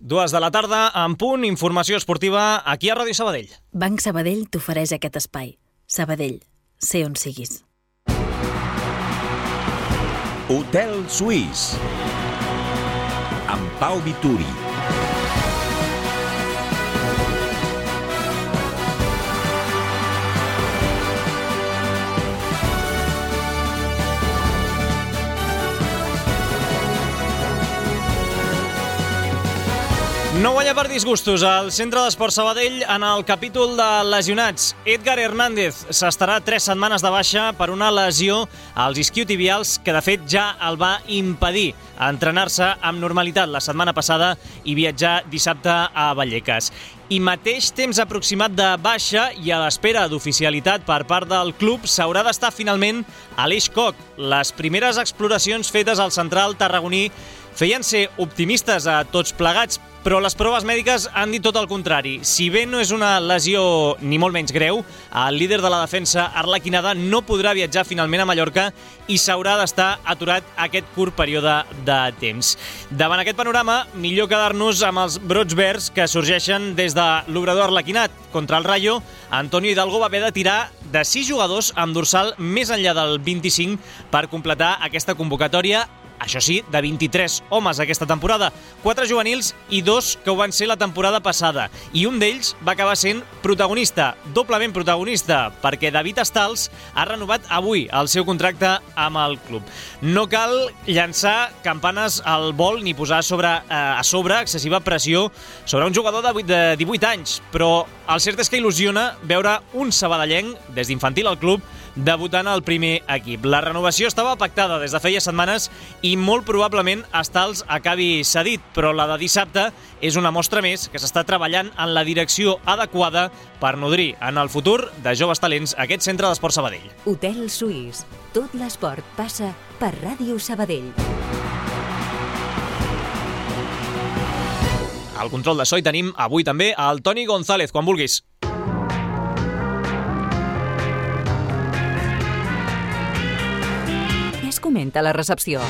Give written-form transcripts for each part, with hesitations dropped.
2 de la tarda, en punt, informació esportiva aquí a Ràdio Sabadell. Banc Sabadell t'ofereix aquest espai. Sabadell, sé on siguis. Hotel Suís amb Pau Vituri. No guanya per disgustos al Centre d'Esport Sabadell en el capítol de lesionats. Edgar Hernández s'estarà 3 setmanes de baixa per una lesió als isquiotibials que de fet ja el va impedir entrenar-se amb normalitat la setmana passada i viatjar dissabte a Vallecas. I mateix temps aproximat de baixa i a l'espera d'oficialitat per part del club s'haurà d'estar finalment Aleix Koch. Les primeres exploracions fetes al central tarragoní feien ser optimistes a tots plegats, però les proves mèdiques han dit tot el contrari. Si bé no és una lesió ni molt menys greu, el líder de la defensa, arlequinada, no podrà viatjar finalment a Mallorca i s'haurà d'estar aturat aquest curt període de temps. Davant aquest panorama, millor quedar-nos amb els brots verds que sorgeixen des de l'obrador arlequinat. Contra el Rayo, Antonio Hidalgo va haver de tirar de 6 jugadors amb dorsal més enllà del 25 per completar aquesta convocatòria. Això sí, de 23 homes aquesta temporada, 4 juvenils i 2 que ho van ser la temporada passada. I un d'ells va acabar sent protagonista, doblement protagonista, perquè David Estals ha renovat avui el seu contracte amb el club. No cal llançar campanes al vol ni posar a sobre excessiva pressió sobre un jugador de 18 anys, però el cert és que il·lusiona veure un sabadellenc des d'infantil al club debutant al primer equip. La renovació estava pactada des de feia setmanes i molt probablement Estals acabi cedit, però la de dissabte és una mostra més que s'està treballant en la direcció adequada per nodrir en el futur de joves talents aquest Centre d'Esport Sabadell. Hotel Suís. Tot l'esport passa per Ràdio Sabadell. Al control de so hi tenim avui també el Toni González, quan vulguis. Comenta la recepció.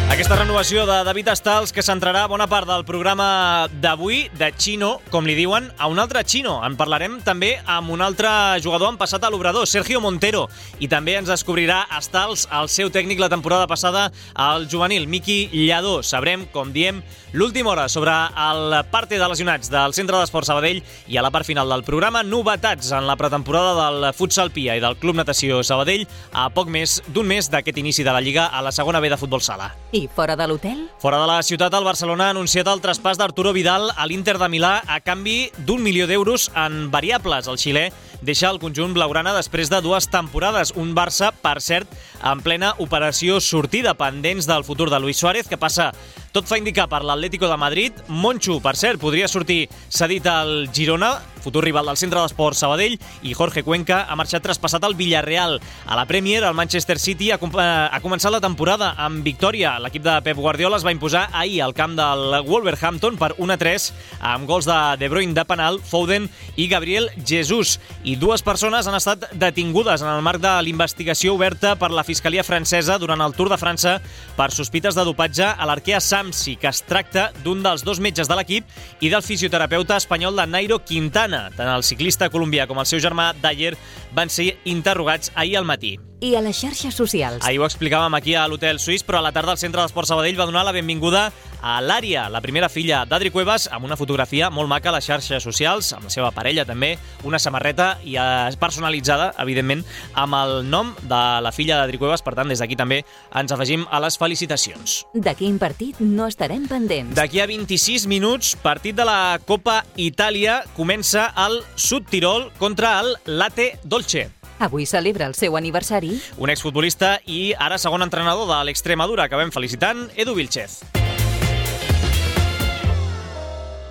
Aquesta renovació de David Estals que centrarà bona part del programa d'avui, de Chino, com li diuen, a un altre Chino. En parlarem també amb un altre jugador en passat a l'obrador, Sergio Montero, i també ens descobrirà Estals, el seu tècnic la temporada passada al juvenil, Miqui Lladó. Sabrem, com diem, l'última hora sobre el parte de lesionats del Centre d'Esport Sabadell i a la part final del programa, novetats en la pretemporada del futsal Pia i del Club Natació Sabadell a poc més d'un mes d'aquest inici de la Lliga a la segona B de futbol sala. I fora de l'hotel? Fora de la ciutat, el Barcelona ha anunciat el traspàs d'Arturo Vidal a l'Inter de Milà a canvi d'1 milió d'euros en variables. El xilè deixa el conjunt blaugrana després de 2 temporades. Un Barça, per cert, en plena operació sortida, pendents del futur de Luis Suárez, que passa, tot fa indicar, per l'Atlético de Madrid. Monchu, per cert, podria sortir cedit al Girona, futur rival del Centre d'Esport Sabadell, i Jorge Cuenca ha marxat traspassat al Villarreal. A la Premier, el Manchester City ha començat la temporada amb victòria. L'equip de Pep Guardiola es va imposar ahir al camp del Wolverhampton per 1-3 amb gols de Bruyne de penal, Foden i Gabriel Jesús. I 2 persones han estat detingudes en el marc de l'investigació oberta per la Fiscalia francesa durant el Tour de França per sospites de dopatge a l'Arkea Samsi, que es tracta d'un dels 2 metges de l'equip i del fisioterapeuta espanyol de Nairo Quintana. Tant el ciclista colombià com el seu germà Dyer van ser interrogats ahir al matí. I a les xarxes socials? Ahir ho explicàvem aquí a l'Hotel Suís, però a la tarda el Centre d'Esport Sabadell va donar la benvinguda a l'Ària, la primera filla d'Adri Cuevas, amb una fotografia molt maca a les xarxes socials, amb la seva parella també, una samarreta i personalitzada, evidentment, amb el nom de la filla d'Adri Cuevas. Per tant, des d'aquí també ens afegim a les felicitacions. De quin partit no estarem pendents? D'aquí a 26 minuts, partit de la Copa Itàlia, comença el Sud Tirol contra el Latte Dolce. Avui celebra el seu aniversari un exfutbolista i ara segon entrenador de l'Extremadura. Acabem felicitant Edu Vilchez.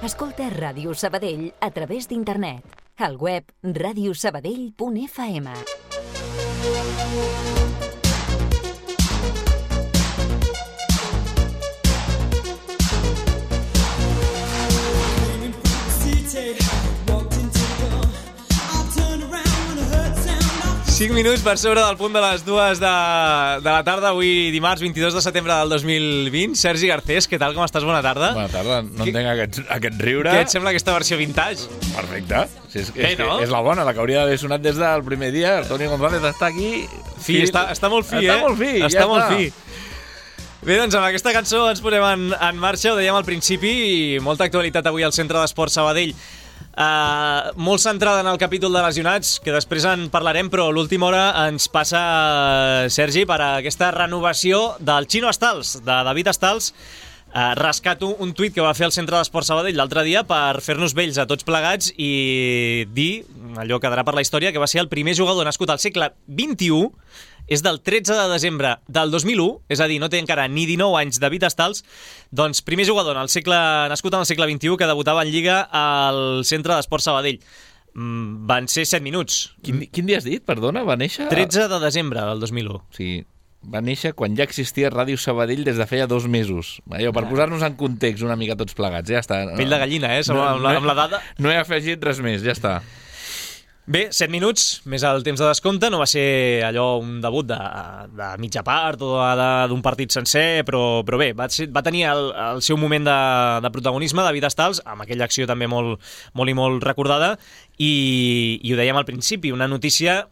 Escolta Ràdio Sabadell a través d'internet. Al web radiosabadell.fm. 5 minuts per sobre del punt de les 2 de la tarda, avui dimarts 22 de setembre del 2020. Sergi Garcés, què tal, com estàs? Bona tarda. Bona tarda, no entenc aquest riure. Què et sembla aquesta versió vintage? Perfecte. No? És la bona, la que hauria d'haver sonat des del primer dia. El Toni González està aquí. Està molt fi, Està molt fi, està molt fi. Bé, doncs amb aquesta cançó ens posem en marxa, ho dèiem al principi, i molta actualitat avui al Centre d'Esport Sabadell. Molt centrada en el capítol de lesionats, que després en parlarem, però a l'última hora ens passa, Sergi, per a aquesta renovació del Chino Estals, de David Estals. Rescato un tuit que va fer el Centre d'Esport Sabadell l'altre dia per fer-nos vells a tots plegats i dir, allò quedarà per la història, que va ser el primer jugador nascut al segle XXI. És del 13 de desembre del 2001, és a dir, no té encara ni 19 anys David Estals, doncs primer jugador nascut en el segle XXI que debutava en Lliga al Centre d'Esport Sabadell. Van ser 7 minuts. Quin dia has dit, perdona, va néixer? 13 de desembre del 2001. Sí, va néixer quan ja existia Ràdio Sabadell des de feia 2 mesos. Allò, per posar-nos en context una mica tots plegats, ja està. Pell de gallina, amb la dada. No he afegit res més, ja està. Bé, 7 minuts, més el temps de descompte, no va ser allò un debut de mitja part o d'un partit sencer, però bé, va tenir el seu moment de protagonisme, David Estals, amb aquella acció també molt recordada, i ho dèiem al principi, una notícia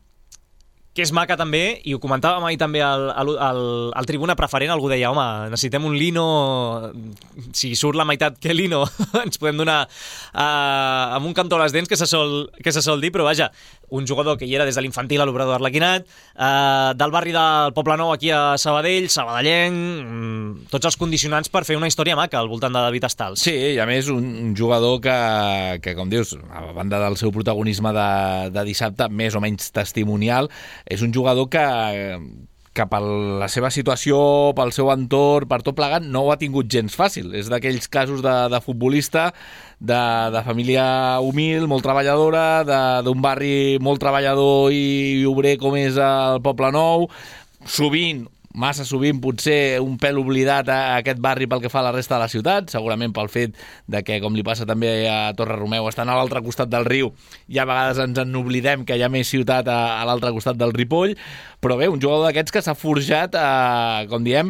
que és maca també, i ho comentàvem ahir també al Tribuna Preferent, algú deia, home, necessitem un Lino, si surt la meitat que Lino, ens podem donar amb un cantó a les dents, que se sol dir, però vaja, un jugador que hi era des de l'infantil a l'Obrador Arlequinat, del barri del Poblenou aquí a Sabadell, sabadellenc, tots els condicionants per fer una història maca al voltant de David Estals. Sí, i a més un jugador que com dius, a banda del seu protagonisme de dissabte, més o menys testimonial, és un jugador que per la seva situació, pel seu entorn, per tot plegat, no ho ha tingut gens fàcil. És d'aquells casos de futbolista, de família humil, molt treballadora, d'un barri molt treballador i obrer com és el Poblenou, massa sovint potser un pèl oblidat a aquest barri pel que fa a la resta de la ciutat, segurament pel fet de que, com li passa també a Torre Romeu, estan a l'altre costat del riu i a vegades ens en oblidem que hi ha més ciutat a l'altre costat del Ripoll, però bé, un jugador d'aquests que s'ha forjat, com diem,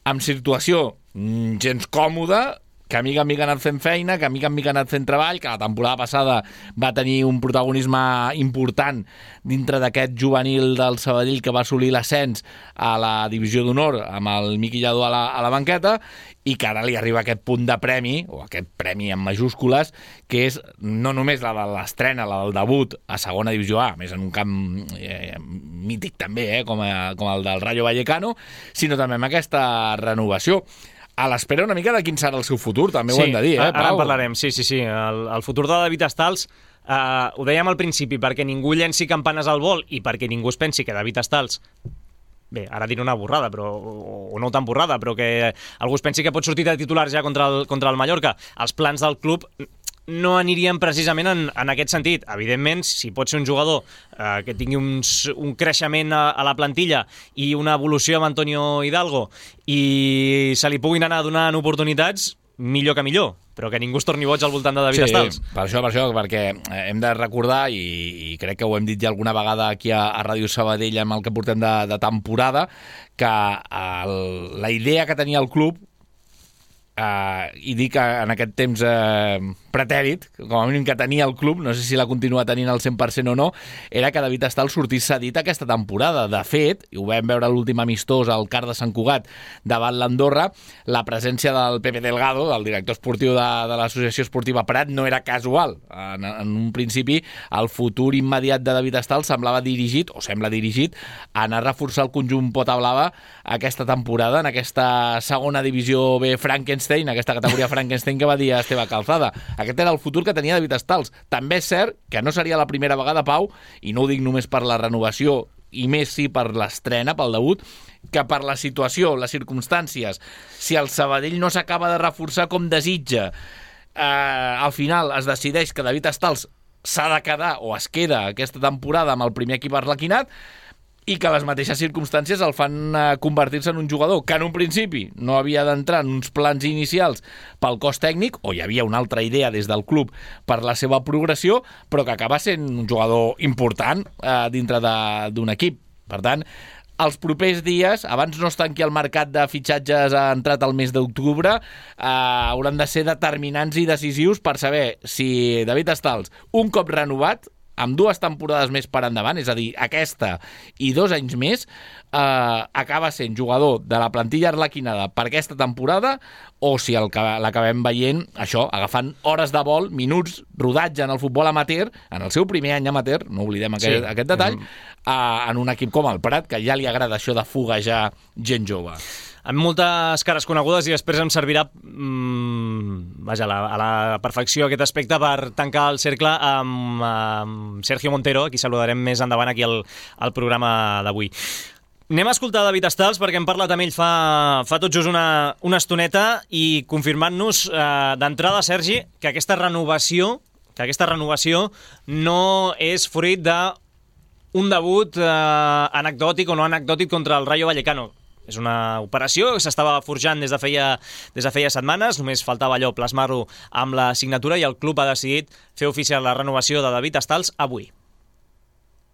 amb situació gens còmoda, que mica en mica ha anat fent feina, que mica en mica ha anat fent treball, que la temporada passada va tenir un protagonisme important dintre d'aquest juvenil del Sabadell que va assolir l'ascens a la divisió d'honor amb el Miqui Lladó a la banqueta, i que ara li arriba aquest punt de premi, o aquest premi en majúscules, que és no només la de l'estrena, la del debut a segona divisió A, més en un camp mític també, com el del Rayo Vallecano, sinó també amb aquesta renovació. A l'espera una mica de quin serà el seu futur, també ho hem de dir, Pau? Ara en parlarem, sí. El futur de David Estals, ho dèiem al principi, perquè ningú llenci campanes al vol i perquè ningú es pensi que David Estals, bé, ara diré una borrada, o no tan borrada, però que algú es pensi que pot sortir de titulars ja contra el Mallorca. Els plans del club no anirien precisament en aquest sentit. Evidentment, si pot ser un jugador que tingui un creixement a la plantilla i una evolució amb Antonio Hidalgo i se li puguin anar donant oportunitats, millor que millor, però que ningú es torni boig al voltant de David Estals. Per això, perquè hem de recordar, i crec que ho hem dit ja alguna vegada aquí a Ràdio Sabadell amb el que portem de temporada, que la idea que tenia el club, i dic en aquest temps pretèrit, com a mínim que tenia el club, no sé si la continua tenint al 100% o no, era que David Estals sortís cedit aquesta temporada. De fet, i ho vam veure a l'últim amistós al CAR de Sant Cugat davant l'Andorra, la presència del Pepe Delgado, del director esportiu de l'Associació Esportiva Prat, no era casual. En un principi, el futur immediat de David Estals sembla dirigit a anar a reforçar el conjunt Pota Blava aquesta temporada, en aquesta segona divisió B Frankenstein, aquesta categoria Frankenstein que va dir Esteve Calzada. Aquest era el futur que tenia David Estals. També és cert que no seria la primera vegada, Pau, i no ho dic només per la renovació, i més sí per l'estrena, pel debut, que per la situació, les circumstàncies, si el Sabadell no s'acaba de reforçar com desitja, al final es decideix que David Estals s'ha de quedar o es queda aquesta temporada amb el primer equip arlequinat, i que les mateixes circumstàncies el fan convertir-se en un jugador que en un principi no havia d'entrar en uns plans inicials pel cos tècnic, o hi havia una altra idea des del club per la seva progressió, però que acaba sent un jugador important dintre d'un equip. Per tant, els propers dies, abans no es tanqui el mercat de fitxatges entrat al mes d'octubre, hauran de ser determinants i decisius per saber si David Stals, un cop renovat, amb 2 temporades més per endavant, és a dir, aquesta i 2 anys més, acaba sent jugador de la plantilla arlequinada per aquesta temporada, o si l'acabem veient, això, agafant hores de vol, minuts, rodatge en el futbol amateur, en el seu primer any amateur, no oblidem aquest detall, en un equip com el Prat, que ja li agrada això de foguejar gent jove. Amb moltes cares conegudes, i després em servirà a la perfecció aquest aspecte per tancar el cercle amb Sergio Montero, a qui saludarem més endavant aquí al programa d'avui. Anem a escoltar David Stals, perquè hem parlat amb ell fa tot just una estoneta, i confirmant-nos d'entrada, Sergi, que aquesta renovació no és fruit d'un debut anecdòtic o no anecdòtic contra el Rayo Vallecano. És una operació que s'estava forjant des de feia setmanes, només faltava allò, plasmar-ho amb la signatura, i el club ha decidit fer oficial la renovació de David Stals avui.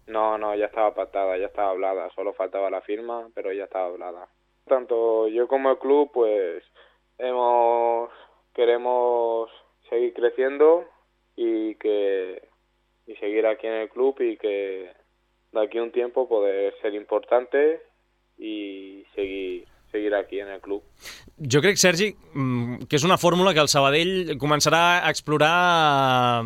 No, ya estaba pactada, ya estaba hablada, solo faltaba la firma, pero ya estaba hablada. Tanto yo como el club, pues, queremos seguir creciendo y seguir aquí en el club, y que de aquí a un tiempo poder ser importante i seguir aquí en el club. Jo crec, Sergi, que és una fórmula que el Sabadell començarà a explorar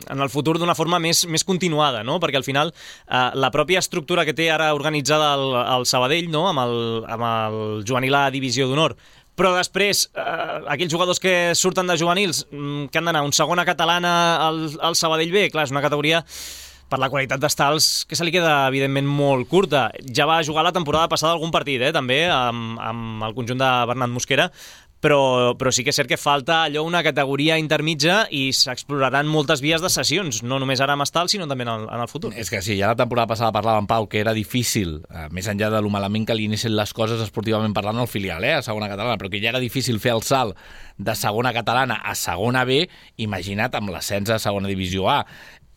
en el futur d'una forma més continuada, no? Perquè al final la pròpia estructura que té ara organitzada el Sabadell, no? amb el juvenil A Divisió d'Honor, però després aquells jugadors que surten de juvenils que han d'anar a un segona catalana al Sabadell B, clar, és una categoria per la qualitat d'Stals que se li queda, evidentment, molt curta. Ja va jugar la temporada passada algun partit, també, amb el conjunt de Bernat Mosquera, però sí que és cert que falta allò, una categoria intermitja, i s'exploraran moltes vies de sessions, no només ara amb Stals, sinó també en el futur. És que sí, ja la temporada passada parlàvem, Pau, que era difícil, més enllà de lo malament que li anessin les coses esportivament parlant al filial, a segona catalana, però que ja era difícil fer el salt de segona catalana a segona B, imagina't amb l'ascens a segona divisió A.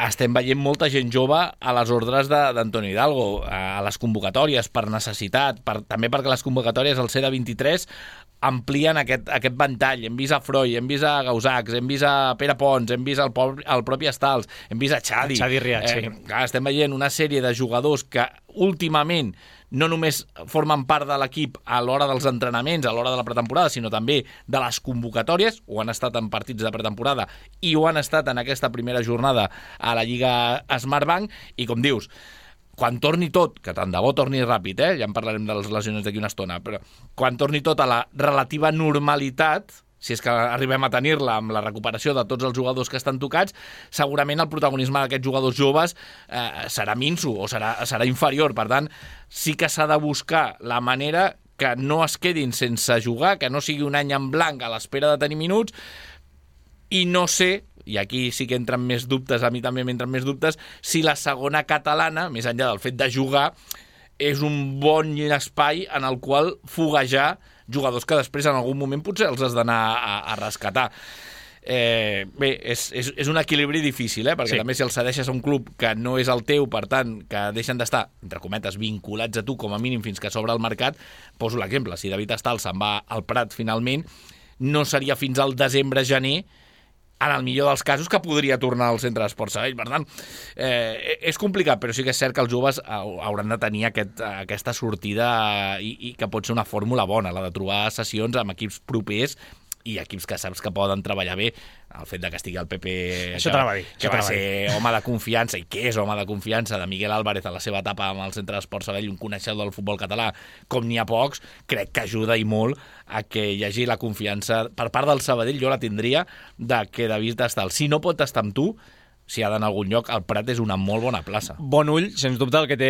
Estem veient molta gent jove a les ordres d'Antonio Hidalgo, a les convocatòries, per necessitat, també perquè les convocatòries al C23 amplien aquest ventall. Hem vist a Freud, hem vist a Gausacs, hem vist a Pere Pons, hem vist el propi Stals, hem vist a Xadi. Riach, sí. Estem veient una sèrie de jugadors que últimament no només formen part de l'equip a l'hora dels entrenaments, a l'hora de la pretemporada, sinó també de les convocatòries, o han estat en partits de pretemporada i ho han estat en aquesta primera jornada a la Lliga Smartbank, i com dius, quan torni tot, que tant de bo torni ràpid, ja en parlarem de les lesions d'aquí una estona, però quan torni tot a la relativa normalitat, si és que arribem a tenir-la amb la recuperació de tots els jugadors que estan tocats, segurament el protagonisme d'aquests jugadors joves serà minso o serà inferior. Per tant, sí que s'ha de buscar la manera que no es quedin sense jugar, que no sigui un any en blanc a l'espera de tenir minuts, i no sé, i aquí sí que entren més dubtes, a mi també m'entren més dubtes, si la segona catalana, més enllà del fet de jugar, és un bon espai en el qual foguejar jugadors que després en algun moment potser els has d'anar a rescatar. Bé, és un equilibri difícil, perquè també si els cedeixes a un club que no és el teu, per tant, que deixen d'estar, entre cometes, vinculats a tu com a mínim fins que s'obre el mercat. Poso l'exemple, si David Stals se'n va al Prat finalment, no seria fins al desembre-gener, en el millor dels casos, que podria tornar al centre d'Esports Sabadell. Per tant, és complicat, però sí que és cert que els joves hauran de tenir aquesta sortida, i que pot ser una fórmula bona, la de trobar sessions amb equips propers i equips que saps que poden treballar bé. El fet de que estigui el Pepe, que va ser home de confiança, i que és home de confiança, de Miguel Álvarez a la seva etapa amb el centre d'Esports Sabadell, un coneixedor del futbol català com n'hi ha pocs, crec que ajuda i molt a que hi hagi la confiança per part del Sabadell. Jo la tindria, de que David Stals, si no pot estar amb tu, si ha d'anar a algun lloc, el Prat és una molt bona plaça. Bon ull, sens dubte, el que té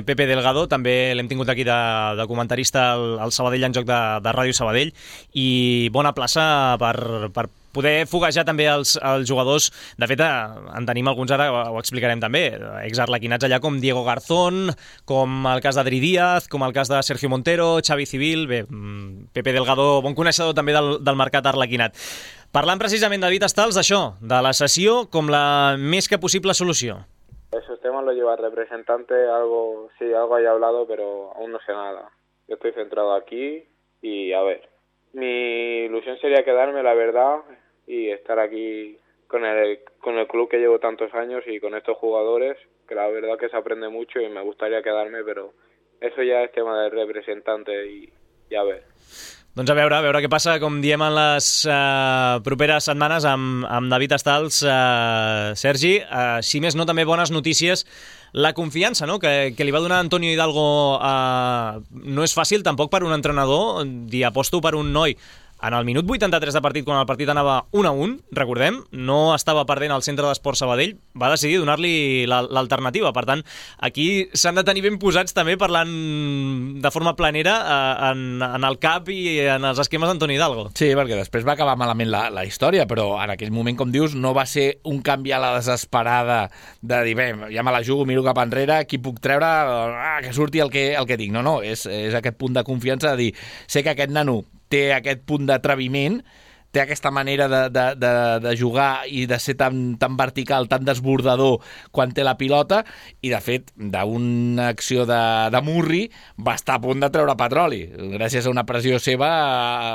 Pepe Delgado. També l'hem tingut aquí de comentarista al Sabadell en joc de Ràdio Sabadell, i bona plaça per poder foguejar també els jugadors. De fet, en tenim alguns ara, ho explicarem també, exarlequinats allà com Diego Garzón, com el cas d'Adri Díaz, com el cas de Sergio Montero, Xavi Civil, bé, Pepe Delgado, bon coneixedor també del mercat arlequinat. Parlant precisament de David Stals, d'això, de la cessió com la més que possible solució. Esos temas los lleva el representante, algo haya hablado, pero aún no sé nada. Yo estoy centrado aquí y a ver. Mi ilusión sería quedarme, la verdad, y estar aquí con el club que llevo tantos años y con estos jugadores, que la verdad que se aprende mucho y me gustaría quedarme, pero eso ya es tema del representante y a ver. Doncs a veure què passa, com diem en les properes setmanes amb David Stals. Sergi, si més no, també bones notícies. La confiança, no?, que li va donar Antonio Hidalgo no és fàcil tampoc per un entrenador dir aposto per un noi. En el minut 83 de partit, quan el partit anava 1-1, recordem, no estava perdent al Centre d'Esports Sabadell, va decidir donar-li l'alternativa. Per tant, aquí s'han de tenir ben posats també parlant de forma planera en el cap i en els esquemes d'Antoni Hidalgo. Sí, perquè després va acabar malament la història, però en aquell moment, com dius, no va ser un canvi a la desesperada de dir, bé, ja me la jugo, miro cap enrere, qui puc treure, que surti el que tinc. No, és aquest punt de confiança de dir, sé que aquest nano té aquest punt d'atreviment, té aquesta manera de jugar i de ser tan vertical, tan desbordador quan té la pilota, i de fet, d'una acció de Murri va estar a punt de treure petroli. Gràcies a una pressió seva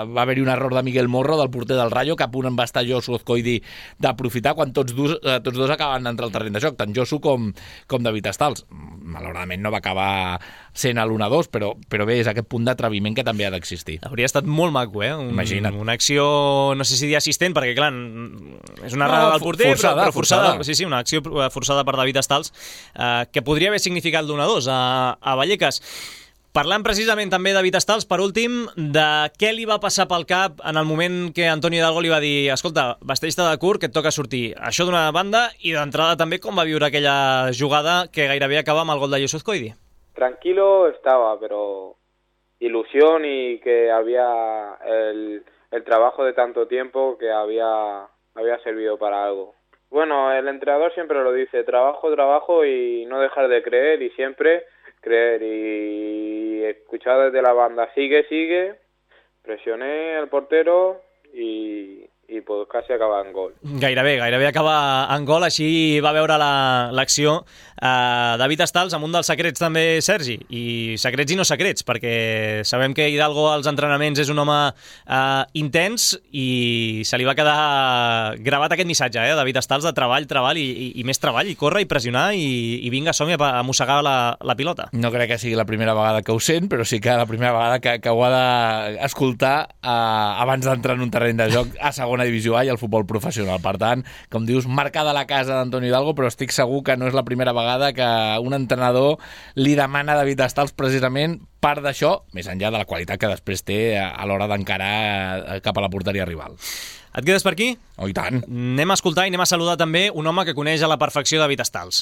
va haver-hi un error de Miguel Morro, del porter del Rayo, que a punt en va estar Josu Azcoidi d'aprofitar quan tots dos acaben d'entrar al terreny de joc, tant Josu com David Stals. Malauradament no va acabar sent l'1-2, però bé, és aquest punt d'atreviment que també ha d'existir. Hauria estat molt maco, Imagina't. Una acció, no sé si dir assistent, perquè clar, és una errada del porter, però forçada. Sí, una acció forçada per David Stals, que podria haver significat l'1-2 a Vallecas. Parlant precisament també de David Stals, per últim, de què li va passar pel cap en el moment que Antonio Hidalgo li va dir escolta, vesteix-te de curt, que et toca sortir. Això d'una banda, i d'entrada també com va viure aquella jugada que gairebé acaba amb el gol de Josu Azcoidi. Tranquilo estaba, pero ilusión y que había el trabajo de tanto tiempo que había servido para algo. Bueno, el entrenador siempre lo dice, trabajo y no dejar de creer y siempre creer, y escuchar desde la banda, sigue, presioné al portero y pues quasi acaba en gol. Gairebé acaba en gol, així va veure l'acció David Stals, amb un dels secrets també, Sergi, i secrets i no secrets, perquè sabem que Hidalgo als entrenaments és un home intens, i se li va quedar gravat aquest missatge, David Stals, de treball i més treball, i córrer i pressionar i vinga, som-hi a mossegar la pilota. No crec que sigui la primera vegada que ho sent, però sí que la primera vegada que ho ha d'escoltar abans d'entrar en un terreny de joc a segona divisió A i al futbol professional. Per tant, com dius, marcada la casa d'Antonio Hidalgo, però estic segur que no és la primera vegada que un entrenador li demana a David Stals precisament part d'això, més enllà de la qualitat que després té a l'hora d'encarar cap a la porteria rival. Et quedes per aquí? Oh, i tant. Anem a escoltar i anem a saludar també un home que coneix a la perfecció David Stals.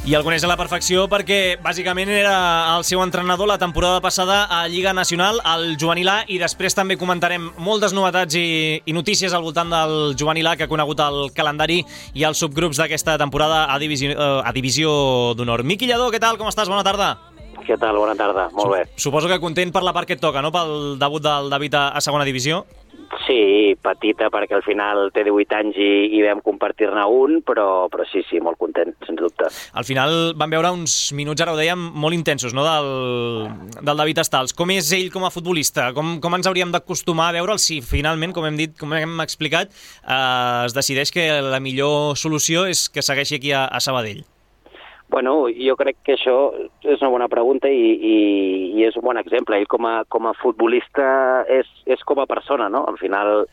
I el coneix a la perfecció perquè bàsicament era el seu entrenador la temporada passada a Lliga Nacional, al Juvenil A, i després també comentarem moltes novetats i notícies al voltant del Juvenil A, que ha conegut el calendari i els subgrups d'aquesta temporada a Divisió d'Honor. Miqui Lladó, què tal? Com estàs? Bona tarda. Què tal? Bona tarda. Molt bé. Suposo que content per la part que et toca, no?, pel debut del David a segona divisió. Sí, petita, perquè al final té 18 anys i vam compartir-ne un, però sí, molt content, sens dubte. Al final van veure uns minuts, ara ho dèiem, molt intensos, no?, del David Stals. Com és ell com a futbolista? Com ens hauríem d'acostumar a veure'l si finalment, com hem dit, com hem explicat, es decideix que la millor solució és que segueixi aquí a Sabadell? Bueno, jo crec que això és una bona pregunta i és un bon exemple. Ell com a futbolista és com a persona, no? Al final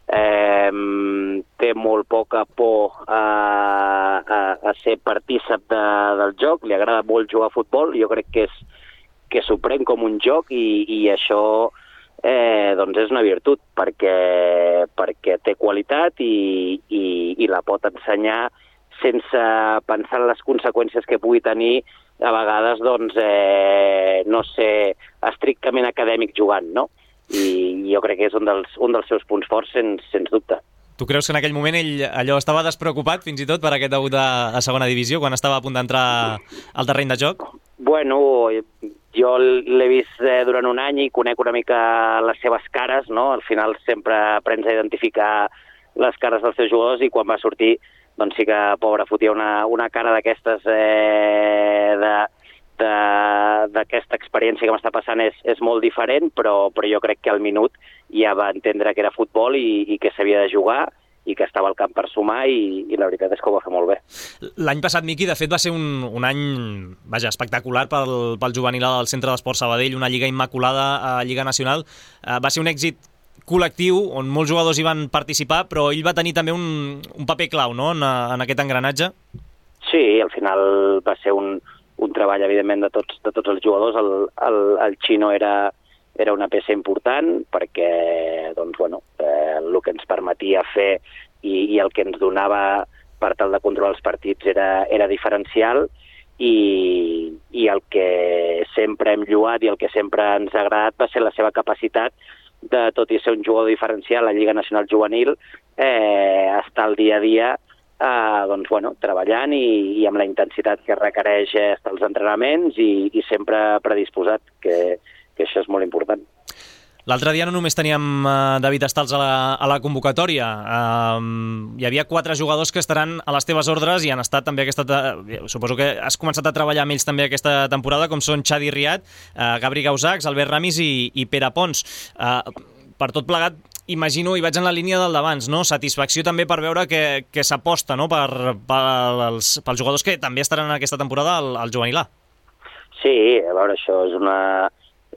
té molt poca por a ser partícip del joc, li agrada molt jugar a futbol, jo crec que s'ho pren com un joc i això doncs és una virtut perquè té qualitat i la pot ensenyar sense pensar en les conseqüències que pugui tenir a vegades, doncs, no ser estrictament acadèmic jugant, no? I jo crec que és un dels seus punts forts, sens dubte. Tu creus que en aquell moment ell allò estava despreocupat fins i tot per aquest debut a segona divisió, quan estava a punt d'entrar al terreny de joc? Bueno, jo l'he vist durant un any i conec una mica les seves cares, no? Al final sempre aprens a identificar les cares dels seus jugadors i quan va sortir, doncs sí que, pobre, fotia una cara d'aquestes d'aquesta experiència que m'està passant és molt diferent, però jo crec que al minut ja va entendre que era futbol i que s'havia de jugar i que estava al camp per sumar i la veritat és que ho va fer molt bé. L'any passat, Miqui, de fet va ser un any espectacular pel juvenil del Centre d'Esport Sabadell, una lliga immaculada a Lliga Nacional. Va ser un èxit col·lectiu on molts jugadors hi van participar, però ell va tenir també un paper clau, no?, en aquest engranatge. Sí, al final va ser un treball, evidentment, de tots els jugadors. El Xino era una peça important perquè, doncs, bueno, el que ens permetia fer i el que ens donava per tal de controlar els partits era diferencial i el que sempre hem lloat i el que sempre ens ha agradat va ser la seva capacitat de, tot i ser un jugador diferencial a Lliga Nacional Juvenil, estar al dia a dia doncs, bueno, treballant i amb la intensitat que requereix estar als entrenaments i sempre predisposat, que això és molt important. L'altre dia no només teníem David Estals a la convocatòria, hi havia 4 jugadors que estaran a les teves ordres i han estat també suposo que has començat a treballar amb ells també aquesta temporada, com són Xadi Riat, Gabri Gausacs, Albert Ramis i Pere Pons. Per tot plegat, imagino, i vaig en la línia del d'abans, no? Satisfacció també per veure que s'aposta, no?, pels jugadors que també estaran en aquesta temporada al juvenil A. Sí, a veure, això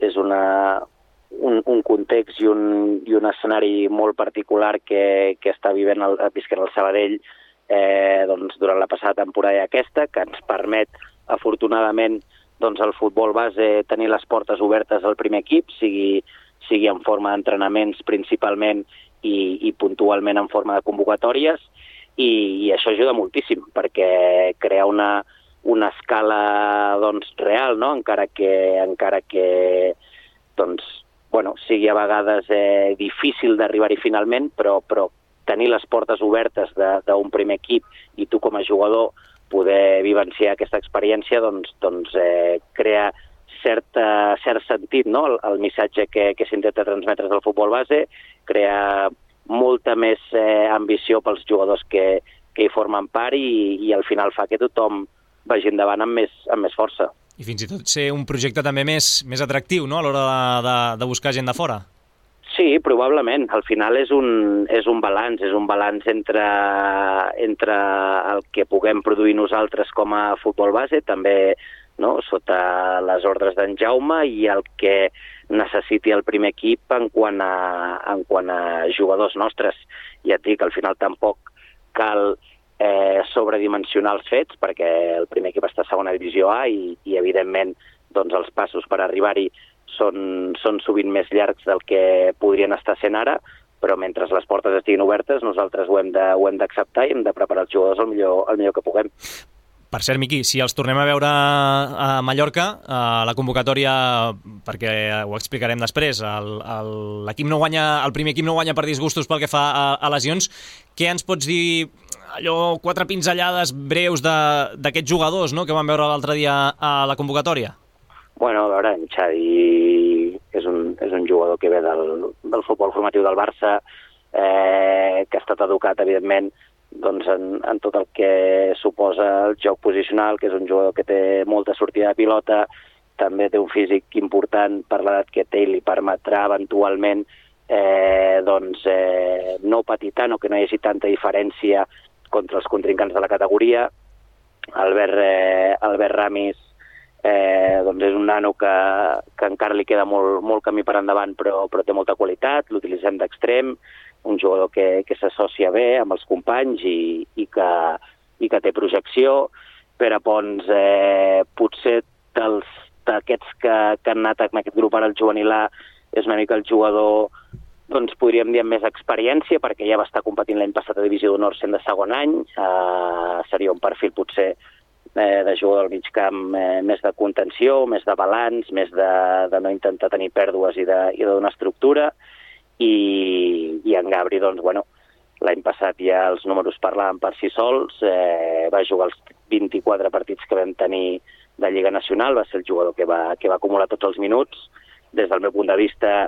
és un context i un escenari molt particular que està visquent el Sabadell doncs, durant la passada temporada i aquesta, que ens permet, afortunadament, doncs, el futbol base tenir les portes obertes al primer equip, sigui en forma d'entrenaments principalment i puntualment en forma de convocatòries, i això ajuda moltíssim perquè crea una escala, doncs, real, no? Encara que doncs, bueno, sigui a vegades difícil d'arribar-hi finalment, però tenir les portes obertes d'un primer equip i tu com a jugador poder vivenciar aquesta experiència doncs crea cert sentit, no? El missatge que s'intenta transmetre del futbol base, crea molta més ambició pels jugadors que hi formen part i al final fa que tothom vagi endavant amb més força. I fins i tot ser un projecte també més atractiu, no?, a l'hora de buscar gent de fora. Sí, probablement. Al final és un balanç entre el que puguem produir nosaltres com a futbol base, també, no?, sota les ordres d'en Jaume, i el que necessiti el primer equip en quant a jugadors nostres. Ja et dic, al final tampoc cal sobredimensionar els fets, perquè el primer equip està a segona divisió A i evidentment, doncs, els passos per arribar-hi són sovint més llargs del que podrien estar sent ara, però mentre les portes estiguin obertes nosaltres ho hem d'acceptar i hem de preparar els jugadors el millor que puguem. Per cert, Miqui, si els tornem a veure a Mallorca, la convocatòria, perquè ho explicarem després, el primer equip no guanya per disgustos pel que fa a lesions, què ens pots dir, allò, 4 pinzellades breus d'aquests jugadors, no?, que vam veure l'altre dia a la convocatòria? Bueno, a veure, en Xadi és un jugador que ve del futbol formatiu del Barça, que ha estat educat, evidentment, doncs, en tot el que suposa el joc posicional, que és un jugador que té molta sortida de pilota, també té un físic important per l'edat que té i li permetrà eventualment no patir tant o que no hi hagi tanta diferència contra els contrincants de la categoria. Albert Ramis doncs és un nano que encara li queda molt camí per endavant, però té molta qualitat, l'utilitzem d'extrem, un jugador que s'associa bé amb els companys i que té projecció. Pere Pons, potser d'aquests que han anat en aquest grup ara al juvenil A, és una mica el jugador, doncs podríem dir, amb més experiència, perquè ja va estar competint l'any passat a Divisió d'Honor sent de segon any. Seria un perfil potser de jugador al mig camp, més de contenció, més de balanç, més de no intentar tenir pèrdues i de donar estructura, i en Gabri, doncs, bueno, l'any passat ja els números parlaven per si sols, va jugar els 24 partits que vam tenir de Lliga Nacional, va ser el jugador que va acumular tots els minuts. Des del meu punt de vista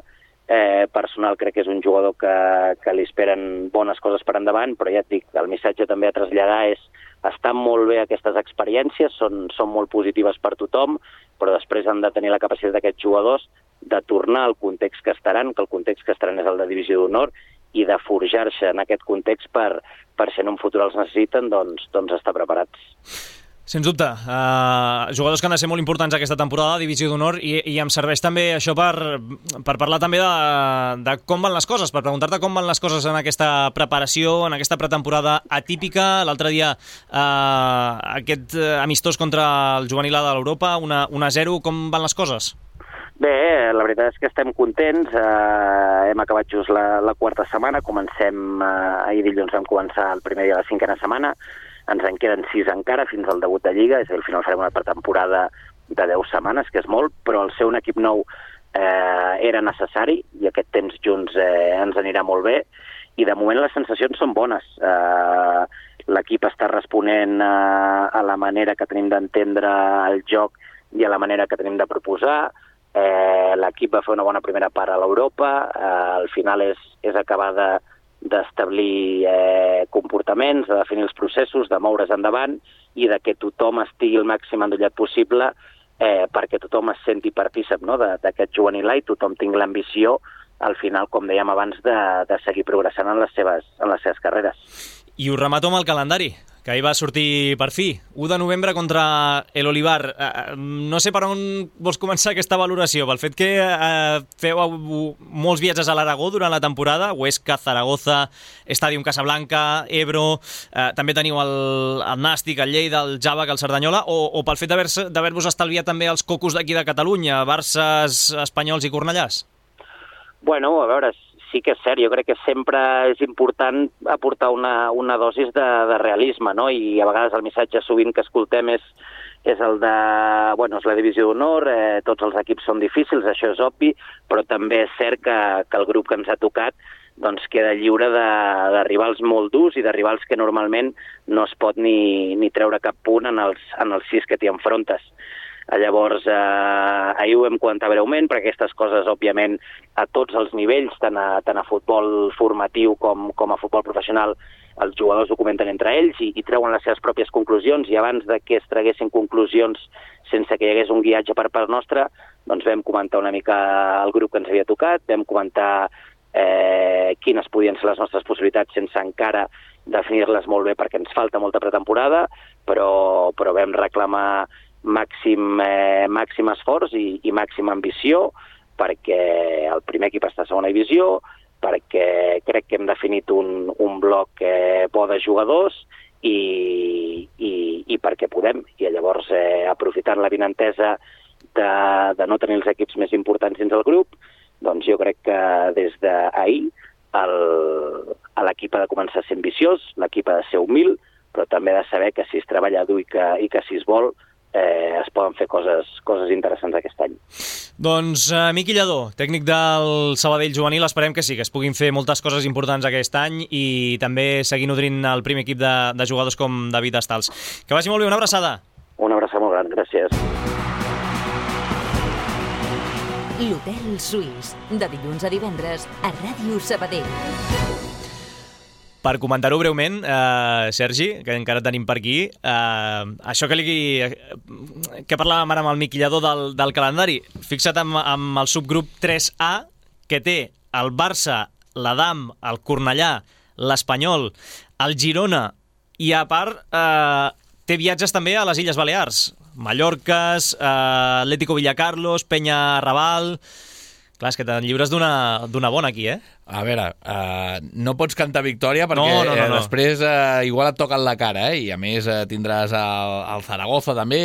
personal crec que és un jugador que li esperen bones coses per endavant, però ja et dic, el missatge també a traslladar és estan molt bé aquestes experiències, són molt positives per tothom, però després han de tenir la capacitat d'aquests jugadors de tornar al context que estaran, que el context que estaran és el de Divisió d'Honor, i de forjar-se en aquest context per si en un futur els necessiten, doncs estar preparats. Sens dubte, jugadors que han de ser molt importants aquesta temporada, Divisió d'Honor, i em serveix també això per parlar també de com van les coses, per preguntar-te com van les coses en aquesta preparació, en aquesta pretemporada atípica. L'altre dia aquest amistós contra el juvenil A de l'Europa, 1-0, com van les coses? Bé, la veritat és que estem contents, hem acabat just la quarta setmana, ahir dilluns vam començar el primer dia de la 5a setmana, ens en queden 6 encara fins al debut de Lliga, és a dir, al final farem una pretemporada de 10 setmanes, que és molt, però el ser un equip nou era necessari i aquest temps junts ens anirà molt bé, i de moment les sensacions són bones. L'equip està responent a la manera que tenim d'entendre el joc i a la manera que tenim de proposar. L'equip va fer una bona primera part a l'Europa, al final és acabar d'establir comportaments, de definir els processos, de moure's endavant i de que tothom estigui el màxim endollat possible perquè tothom es senti partícip, no?, d'aquest juvenil A i tothom tingui l'ambició, al final, com dèiem abans, de seguir progressant en les seves carreres. I ho remato amb el calendari, que ahir va sortir per fi, 1 de novembre contra l'Olivar. No sé per on vols començar aquesta valoració, pel fet que feu molts viatges a l'Aragó durant la temporada, Huesca, Zaragoza, Stadium Casablanca, Ebro, també teniu el Nàstic, el Lleida, el Jàvec, el Cerdanyola, o pel fet d'haver-vos estalviat també els cocos d'aquí de Catalunya, Barças, Espanyols i Cornellàs? Bueno, a veure, sí que és cert, jo crec que sempre és important aportar una dosis de realisme, no? I a vegades el missatge sovint que escoltem és el de, bueno, és la Divisió d'Honor, tots els equips són difícils, això és obvi, però també és cert que el grup que ens ha tocat doncs queda lliure de rivals molt durs i de rivals que normalment no es pot ni treure cap punt en els 6 que t'hi enfrontes. Llavors, ahir ho vam comentar breument, perquè aquestes coses, òbviament, a tots els nivells, tant a futbol formatiu com a futbol professional, els jugadors ho comenten entre ells i treuen les seves pròpies conclusions, i abans de que es traguessin conclusions sense que hi hagués un guiatge per part nostra, doncs vam comentar una mica el grup que ens havia tocat, vam comentar quines podien ser les nostres possibilitats sense encara definir-les molt bé perquè ens falta molta pretemporada, però vam reclamar màxim esforç i màxima ambició perquè el primer equip està a segona divisió, perquè crec que hem definit un bloc bo de jugadors i perquè podem. I llavors, aprofitant la vinentesa de no tenir els equips més importants dins del grup, doncs jo crec que des d'ahir l'equip ha de començar a ser ambiciós, l'equip ha de ser humil, però també ha de saber que si es treballa dur i que si es vol, es poden fer coses interessants aquest any. Doncs Miqui Lladó, tècnic del Sabadell juvenil, esperem que sí, que es puguin fer moltes coses importants aquest any i també seguir nodrint el primer equip de jugadors com David Estals. Que vagi molt bé, una abraçada. Una abraçada molt gran, gràcies. L'Hotel Suís, de dilluns a divendres a Ràdio Sabadell. Per comentar-ho breument, Sergi, que encara tenim per aquí, això que parlàvem ara amb el Miqui Lladó del calendari, fixa't amb el subgrup 3A, que té el Barça, l'Adam, el Cornellà, l'Espanyol, el Girona, i a part té viatges també a les Illes Balears, Mallorques, Atlético Villacarlos, Penya Raval. Clar, és que te'n lliures d'una bona aquí, eh? A veure, no pots cantar victòria perquè no. Després igual et toquen la cara, i a més tindràs el Zaragoza també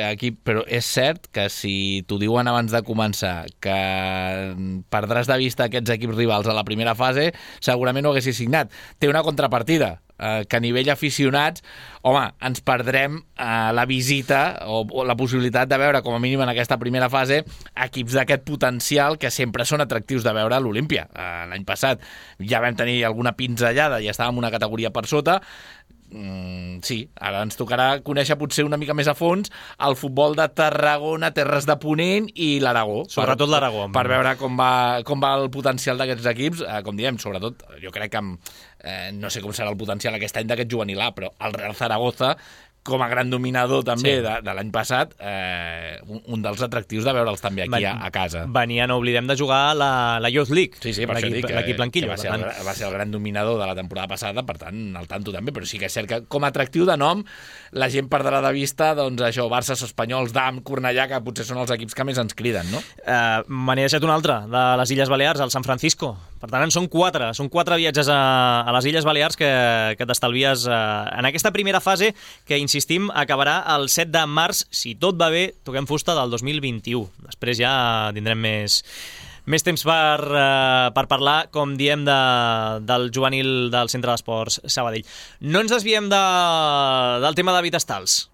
aquí, però és cert que si t'ho diuen abans de començar que perdràs de vista aquests equips rivals a la primera fase, segurament ho haguessis signat. Té una contrapartida. que a nivell aficionats, home, ens perdrem la visita o la possibilitat de veure, com a mínim en aquesta primera fase, equips d'aquest potencial que sempre són atractius de veure a l'Olímpia. L'any passat ja vam tenir alguna pinzellada i estàvem una categoria per sota. Sí, ara ens tocarà conèixer potser una mica més a fons el futbol de Tarragona, Terres de Ponent i l'Aragó. Sobretot l'Aragó. Per veure com va el potencial d'aquests equips. Com diem, sobretot, jo crec que no sé com serà el potencial aquest any d'aquest juvenil A, però el Real Zaragoza, com a gran dominador també de l'any passat, un dels atractius de veure'ls també aquí a casa. Venien, no oblidem, de jugar la Youth League. Sí, per això dic l'equip blanquillo. Va ser el gran dominador de la temporada passada, per tant, al tanto també, però sí que és cert que com a atractiu de nom la gent perdrà de vista, doncs això, Barça, Espanyols, Dam, Cornellà, que potser són els equips que més ens criden, no? Me n'he deixat un altre, de les Illes Balears, el San Francisco. Per tant, són quatre viatges a les Illes Balears que t'estalvies en aquesta primera fase, que insistim, acabarà el 7 de març, si tot va bé, toquem fusta del 2021. Després ja tindrem més temps per parlar, com diem, del juvenil del Centre d'Esports Sabadell. No ens desviem del tema de Vitastals.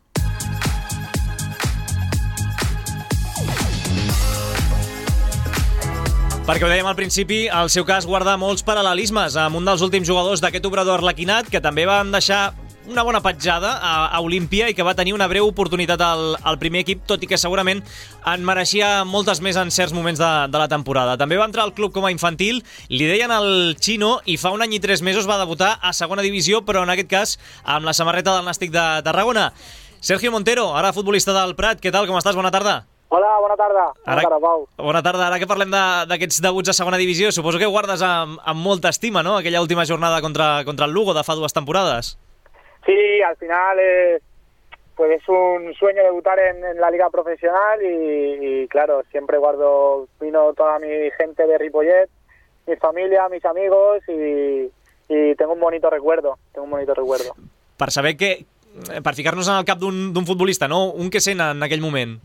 Perquè ho dèiem al principi, el seu cas guarda molts paral·lelismes amb un dels últims jugadors d'aquest obrador arlequinat, que també van deixar una bona petjada a Olímpia i que va tenir una breu oportunitat al primer equip, tot i que segurament en mereixia moltes més en certs moments de la temporada. També va entrar al club com a infantil, li deien el Chino, i fa un any i 3 mesos va debutar a segona divisió, però en aquest cas amb la samarreta del Nàstic de Tarragona. Sergio Montero, ara futbolista del Prat, què tal, com estàs? Bona tarda. Hola, bona tarda. Bona tarda, Pau. Bona tarda. Ara que parlem d'aquests debuts a segona divisió, suposo que guardes amb molta estima, ¿no?, aquella última jornada contra el Lugo de fa 2 temporades. Sí, al final pues es un sueño debutar en la liga profesional y claro, siempre vino toda mi gente de Ripollet, mi familia, mis amigos y tengo un bonito recuerdo, Per saber per ficar-nos en el cap d'un futbolista, no? Un que sent en aquell moment.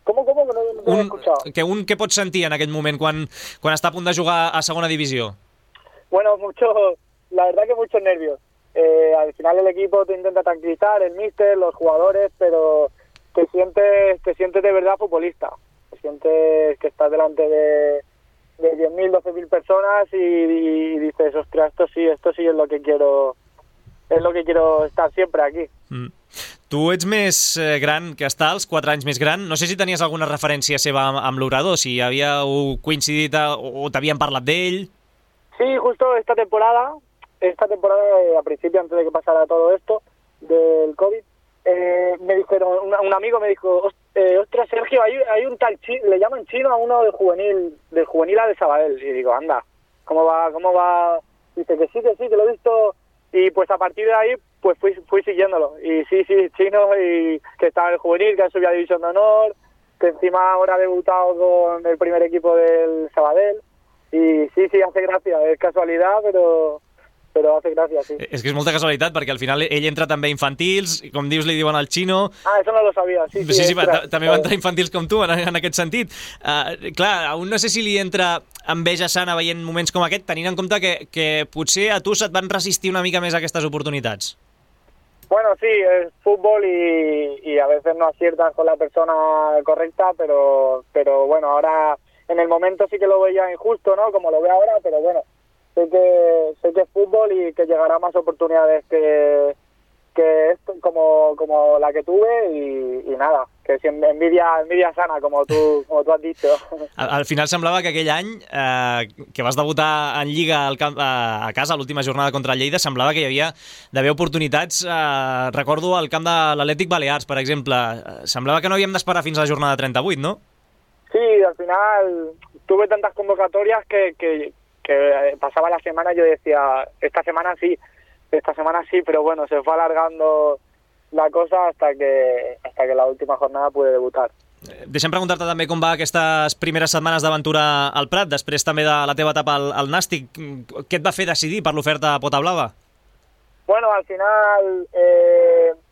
¿Cómo? Que no he escuchado. Què pots sentir en aquell moment quan està a punt de jugar a segona divisió? Bueno, la verdad que muchos nervios. Al final el equipo te intenta tranquilizar, el míster, los jugadores, pero te sientes de verdad futbolista. Te sientes que estás delante de 10.000, 12.000 personas y dices, ostras, esto sí es lo que quiero estar siempre aquí. Tu ets més gran que Stals, 4 anys més gran. No sé si tenies alguna referència seva amb l'obrador, si havíeu coincidit o t'havien parlat d'ell. Sí, justo esta temporada, a principio, antes de que pasara todo esto del COVID, me dijeron, un amigo me dijo, ostras, Sergio, hay un tal Chino, le llaman Chino a uno del juvenil A de Sabadell. Y digo, anda, ¿cómo va? Dice que sí, que lo he visto. Y pues a partir de ahí pues fui siguiéndolo. Y sí, Chino, y que estaba en el juvenil, que ha subido a División de Honor, que encima ahora ha debutado con el primer equipo del Sabadell. Y sí, hace gracia, es casualidad, pero hace gràcia, sí. És que és molta casualitat, perquè al final ell entra també a infantils, i com dius li diuen al Chino. Eso no lo sabia, sí. Sí, també va entrar a infantils com tu, en aquest sentit. Clar, aún no sé si li entra enveja sana veient moments com aquest, tenint en compte que potser a tu se't van resistir una mica més a aquestes oportunitats. Bueno, sí, es fútbol y a veces no aciertas con la persona correcta, pero bueno, ahora en el momento sí que lo veía injusto, ¿no? Como lo veo ahora, pero bueno, sé que es fútbol y que llegará más oportunidades que esto, como la que tuve y nada, que si envidia sana, como tú has dicho. Al final semblava que aquell any que vas debutar en Lliga a casa, l'última jornada contra el Lleida, semblava que hi havia d'haver oportunitats, recordo al camp de l'Atlètic Balears, per exemple, semblava que no havíem d'esperar fins a la jornada 38, ¿no? Sí, al final tuve tantas convocatorias que pasaba la semana y yo decía, esta semana sí, pero bueno, se fue alargando la cosa hasta que la última jornada pude debutar. Deixa'm preguntar-te també com va aquestes primeres setmanes d'aventura al Prat, després també de la teva etapa al Nàstic. Què et va fer decidir per l'oferta a Pota Blava? Bueno, al final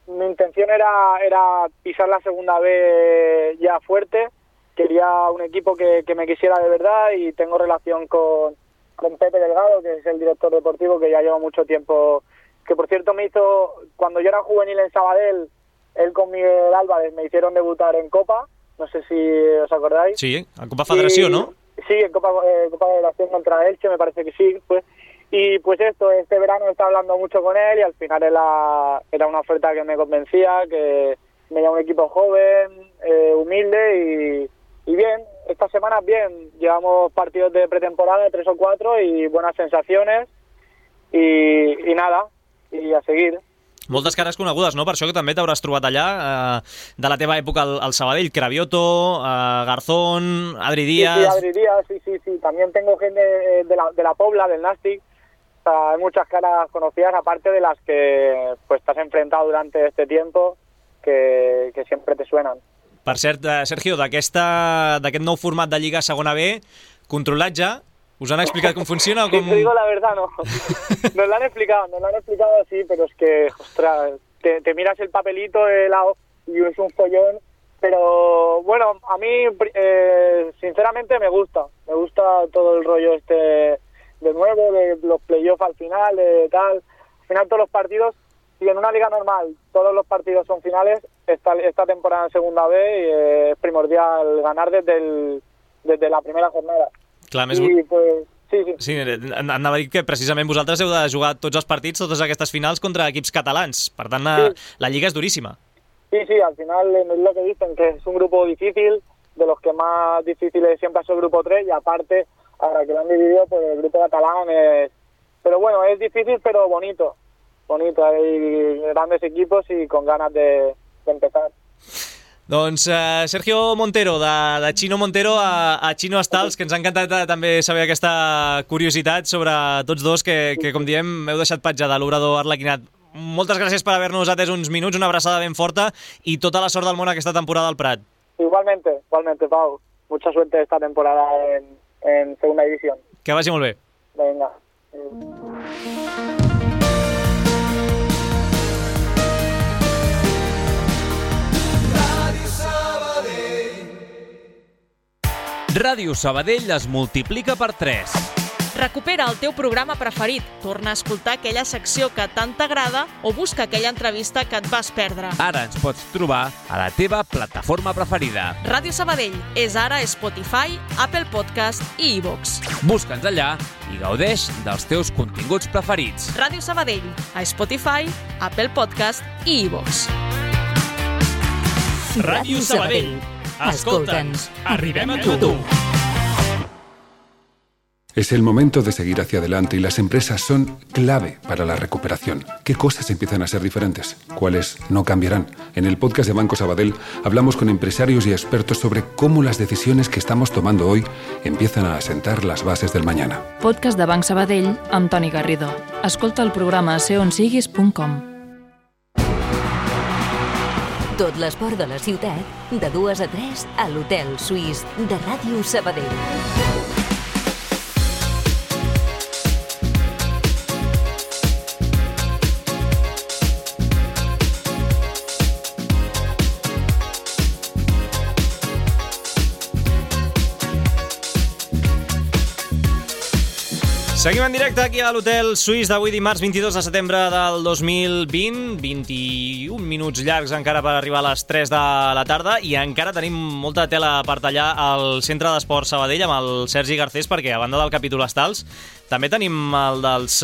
mi intención era pisar la segunda B ya fuerte. Quería un equipo que me quisiera de verdad y tengo relación con con Pepe Delgado, que es el director deportivo, que ya lleva mucho tiempo, que por cierto me hizo, cuando yo era juvenil en Sabadell, él con Miguel Álvarez me hicieron debutar en Copa, no sé si os acordáis. Sí, en Copa Federación, ¿no? Sí, en Copa Federación contra Elche, me parece que sí, pues. Y pues este verano estaba hablando mucho con él y al final era una oferta que me convencía, que me llama un equipo joven, humilde y bien. Estas semanas bien, llevamos partidos de pretemporada, 3 o 4 y buenas sensaciones y nada, y a seguir. Moltes cares conegudes, no? Per això que també t'hauràs trobat allà, de la teva època al Sabadell, Cravioto, Garzón, Adri Díaz... Sí, Adri Díaz, sí. También tengo gente de la Pobla, del Nàstic. O sea, hay muchas caras conocidas, aparte de las que pues te has enfrentado durante este tiempo, que siempre te suenan. Per cert, Sergio, d'aquest nou format de Lliga Segona B, controlat ja, ¿us han explicado cómo funciona? O cómo... Si te digo la verdad, no. Nos lo han explicado sí, pero es que, ostras, te miras el papelito de lado y es un follón. Pero bueno, a mí, sinceramente, me gusta todo el rollo de nuevo, de los playoffs al final, tal. Al final todos los partidos, si en una liga normal todos los partidos son finales, esta temporada en Segunda B es primordial ganar desde la primera jornada. Clar, més... I pues, sí. Anava a dir que precisament vosaltres heu de jugar tots els partits, totes aquestes finals contra equips catalans. Per tant, la Lliga és duríssima. Sí, al final es lo que dicen, que es un grupo difícil, de los que más difíciles siempre es el grupo 3, y aparte, ahora que lo han dividido, pues el grupo catalán es... Pero bueno, es difícil, pero bonito. Hay grandes equipos y con ganas de empezar. Doncs Sergio Montero, de Chino Montero a Chino Estals, que ens ha encantat també saber aquesta curiositat sobre tots dos, que com diem, m'heu deixat petjada l'obrador Arlequinat. Moltes gràcies per haver-nos atès uns minuts, una abraçada ben forta i tota la sort del món aquesta temporada al Prat. Igualmente, Pau. Mucha suerte esta temporada en Segunda División. Que vagi molt bé. Venga. Ràdio Sabadell es multiplica per 3. Recupera el teu programa preferit, torna a escoltar aquella secció que tant t'agrada o busca aquella entrevista que et vas perdre. Ara ens pots trobar a la teva plataforma preferida. Ràdio Sabadell és ara a Spotify, Apple Podcast i iVoox. Busca'ns allà i gaudeix dels teus continguts preferits. Ràdio Sabadell, a Spotify, Apple Podcast i iVoox. Ràdio Sabadell. Escolta'ns, arribem a tu. Es el momento de seguir hacia adelante y las empresas son clave para la recuperación. ¿Qué cosas empiezan a ser diferentes? ¿Cuáles no cambiarán? En el podcast de Banco Sabadell hablamos con empresarios y expertos sobre cómo las decisiones que estamos tomando hoy empiezan a asentar las bases del mañana. Podcast de Banc Sabadell amb Toni Garrido. Escolta el programa a seonsiguis.com. Tot l'esport de la ciutat, de 2 a 3 a l'Hotel Suís de Ràdio Sabadell. Seguim en directe aquí a l'Hotel Suís d'avui dimarts 22 de setembre del 2020, 21 minuts llargs encara per arribar a les 3 de la tarda i encara tenim molta tela per tallar al Centre d'Esport Sabadell amb el Sergi Garcés, perquè a banda del capítol Estals també tenim el dels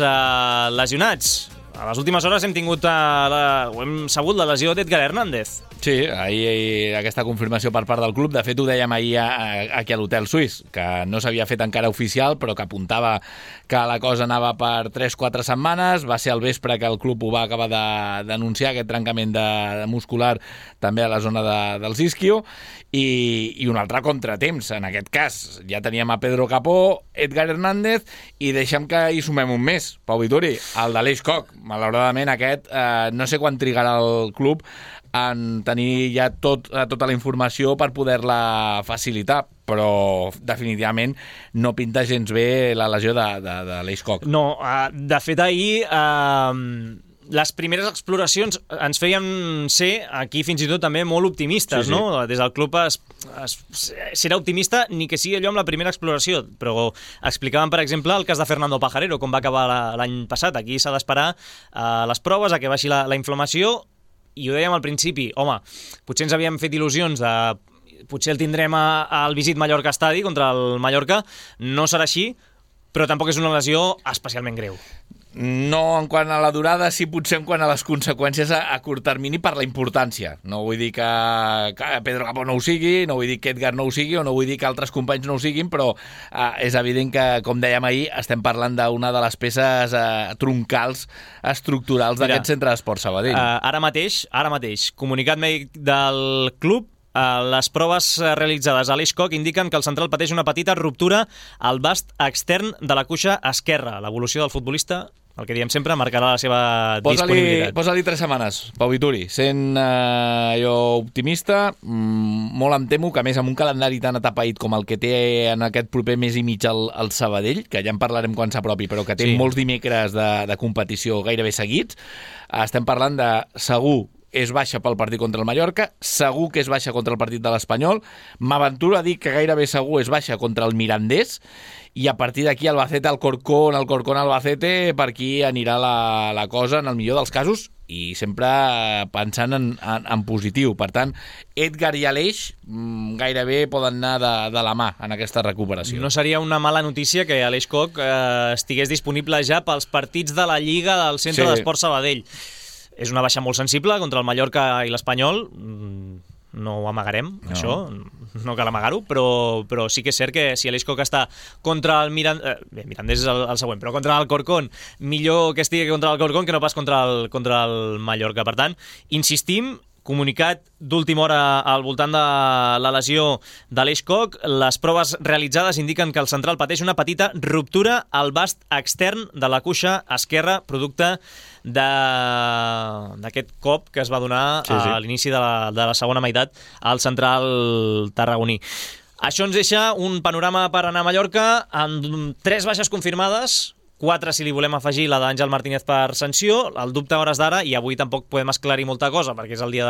lesionats. A les últimes hores hem tingut hem sabut la lesió d'Edgar Hernández. Sí, ahir aquesta confirmació per part del club. De fet, ho dèiem ahir aquí a l'Hotel Suís, que no s'havia fet encara oficial, però que apuntava que la cosa anava per 3-4 setmanes. Va ser al vespre que el club ho va acabar d'anunciar, aquest trencament de muscular també a la zona dels isquio. I un altre contratemps, en aquest cas. Ja teníem a Pedro Capó, Edgar Hernández, i deixem que hi sumem un més, Pau Vituri, el de l'Eix Coc. Malauradament aquest, no sé quan trigarà el club en tenir ja tota la informació per poder-la facilitar, però definitivament no pinta gens bé la lesió de l'Eix Coc. No, de fet ahir les primeres exploracions ens feien ser aquí fins i tot també molt optimistes, Sí. no? Des del club serà optimista ni que sigui allò amb la primera exploració, però explicaven, per exemple, el cas de Fernando Pajarero, com va acabar l'any passat. Aquí s'ha d'esperar les proves, a que baixi la inflamació, i ho dèiem al principi, home, potser ens havíem fet il·lusions de potser el tindrem al Visit Mallorca Estadi contra el Mallorca, no serà així, però tampoc és una lesió especialment greu. No en quant a la durada, sí potser en quant a les conseqüències a curt termini per la importància. No vull dir que Pedro Capó no ho sigui, no vull dir que Edgar no ho sigui, o no vull dir que altres companys no ho siguin, però és evident que, com dèiem ahir, estem parlant d'una de les peces troncals estructurals d'aquest centre d'esport Sabadell. Ara mateix, comunicat mèdic del club, les proves realitzades a l'Eix Coc indiquen que el central pateix una petita ruptura al vast extern de la cuixa esquerra. L'evolució del futbolista, el que diem sempre, marcarà la seva disponibilitat. Posa-li 3 setmanes, Pau Vituri. Sent jo optimista, molt em temo que, a més, amb un calendari tan atapeït com el que té en aquest proper mes i mig el Sabadell, que ja en parlarem quan s'apropi, però que té molts dimecres de competició gairebé seguits, estem parlant de segur és baixa pel partit contra el Mallorca, segur que és baixa contra el partit de l'Espanyol, m'aventuro a dir que gairebé segur és baixa contra el Mirandés, i a partir d'aquí Albacete, Alcorcón, Albacete, per aquí anirà la cosa en el millor dels casos, i sempre pensant en positiu. Per tant, Edgar i Aleix gairebé poden anar de la mà en aquesta recuperació. No seria una mala notícia que Aleix Coc estigués disponible ja pels partits de la Lliga del Centre d'Esport Sabadell. És una baixa molt sensible contra el Mallorca i l'Espanyol, no ho amagarem, això, no cal amagar-ho, però sí que és cert que si Aleix Coc està contra el Mirandés és el següent, però contra el Alcorcón, millor que estigui contra el Alcorcón que no pas contra el Mallorca. Per tant, insistim, comunicat d'última hora al voltant de la lesió d'Aleix Coc. Les proves realitzades indiquen que el central pateix una petita ruptura al vast extern de la cuixa esquerra, producte d'aquest cop que es va donar a l'inici de la segona meitat al central tarragoní. Això ens deixa un panorama per anar a Mallorca amb 3 baixes confirmades, 4 si li volem afegir la d'Àngel Martínez per sanció. El dubte a hores d'ara, i avui tampoc podem esclarir molta cosa perquè és el dia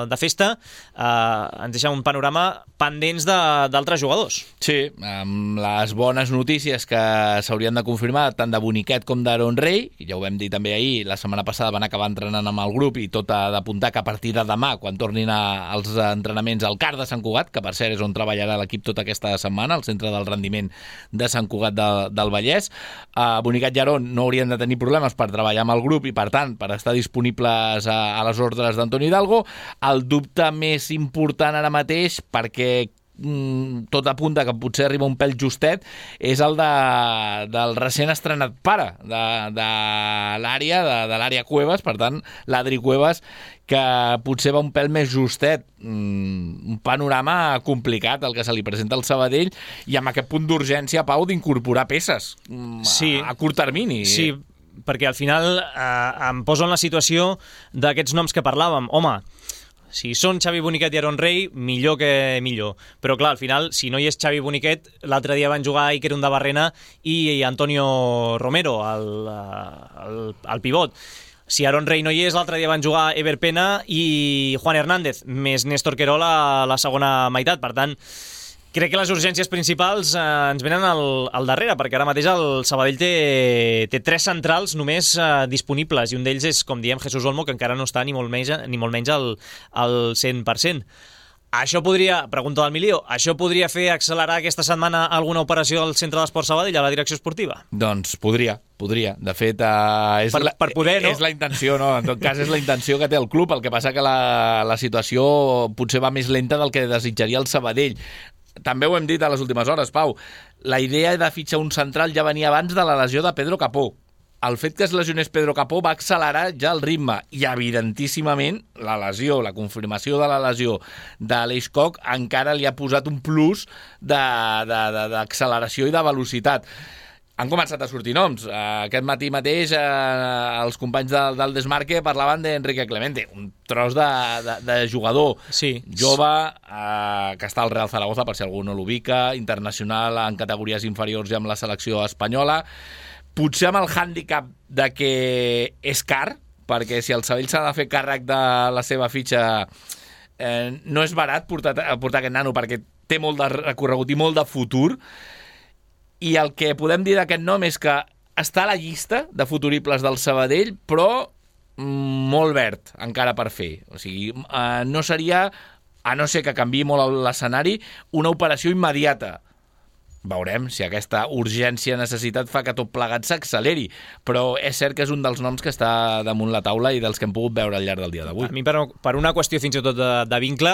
de festa, ens deixa un panorama pendents d'altres jugadors. Sí, amb les bones notícies que s'haurien de confirmar tant de Boniquet com d'Aaron Rey, i ja ho vam dir també ahir, la setmana passada van acabar entrenant amb el grup i tot ha d'apuntar que a partir de demà, quan tornin als entrenaments al CAR de Sant Cugat, que per cert és on treballarà l'equip tota aquesta setmana, al centre del rendiment de Sant Cugat del Vallès, Boniquet i Aaron no haurien de tenir problemes per treballar amb el grup i, per tant, per estar disponibles a les ordres d'Antoni Hidalgo. El dubte més important ara mateix, perquè tot apunta que potser arriba un pèl justet, és el del recent estrenat pare de l'àrea Cuevas, per tant, l'Adri Cuevas, que potser va un pèl més justet. Un panorama complicat el que se li presenta al Sabadell, i amb aquest punt d'urgència, Pau, d'incorporar peces a curt termini. Sí, perquè al final em poso en la situació d'aquests noms que parlàvem. Home, si són Xavi Boniquet i Aaron Rey, millor que millor. Però clar, al final, si no hi és Xavi Boniquet, l'altre dia van jugar Iker Undabarrena i Antonio Romero, el pivot. Si Aaron Rey no hi és, l'altre dia van jugar Ever Pena i Juan Hernández, més Néstor Querol a la segona meitat. Per tant, crec que les urgències principals ens venen al darrere, perquè ara mateix el Sabadell té 3 centrals només disponibles, i un d'ells és, com diem, Jesús Olmo, que encara no està ni molt menys al 100%. Això podria, pregunta del Milió, això podria fer accelerar aquesta setmana alguna operació del Centre d'Esport Sabadell a la direcció esportiva? Doncs podria. De fet, per poder, no? És la intenció, no? En tot cas, és la intenció que té el club. El que passa que la situació potser va més lenta del que desitjaria el Sabadell. També ho hem dit a les últimes hores, Pau. La idea de fitxar un central ja venia abans de la lesió de Pedro Capó. El fet que es lesionés Pedro Capó va accelerar ja el ritme, i evidentíssimament la confirmació de la lesió d'Aleix Coc encara li ha posat un plus d'acceleració i de velocitat. Han començat a sortir noms. Aquest matí mateix els companys del Desmarque parlaven d'Enrique Clemente, un tros de jugador jove que està al Real Zaragoza, per si algú no l'ubica, internacional en categories inferiors i amb la selecció espanyola. Potser amb el hàndicap de que és car, perquè si el Sabadell s'ha de fer càrrec de la seva fitxa, no és barat portar aquest nano, perquè té molt de recorregut i molt de futur, i el que podem dir d'aquest nom és que està a la llista de futuribles del Sabadell, però molt verd encara per fer. O sigui, no seria, a no ser que canviï molt l'escenari, una operació immediata. Veurem si aquesta urgència, necessitat fa que tot plegat s'acceleri, però és cert que és un dels noms que està damunt la taula i dels que hem pogut veure al llarg del dia d'avui. A mi, per una qüestió fins i tot de vincle,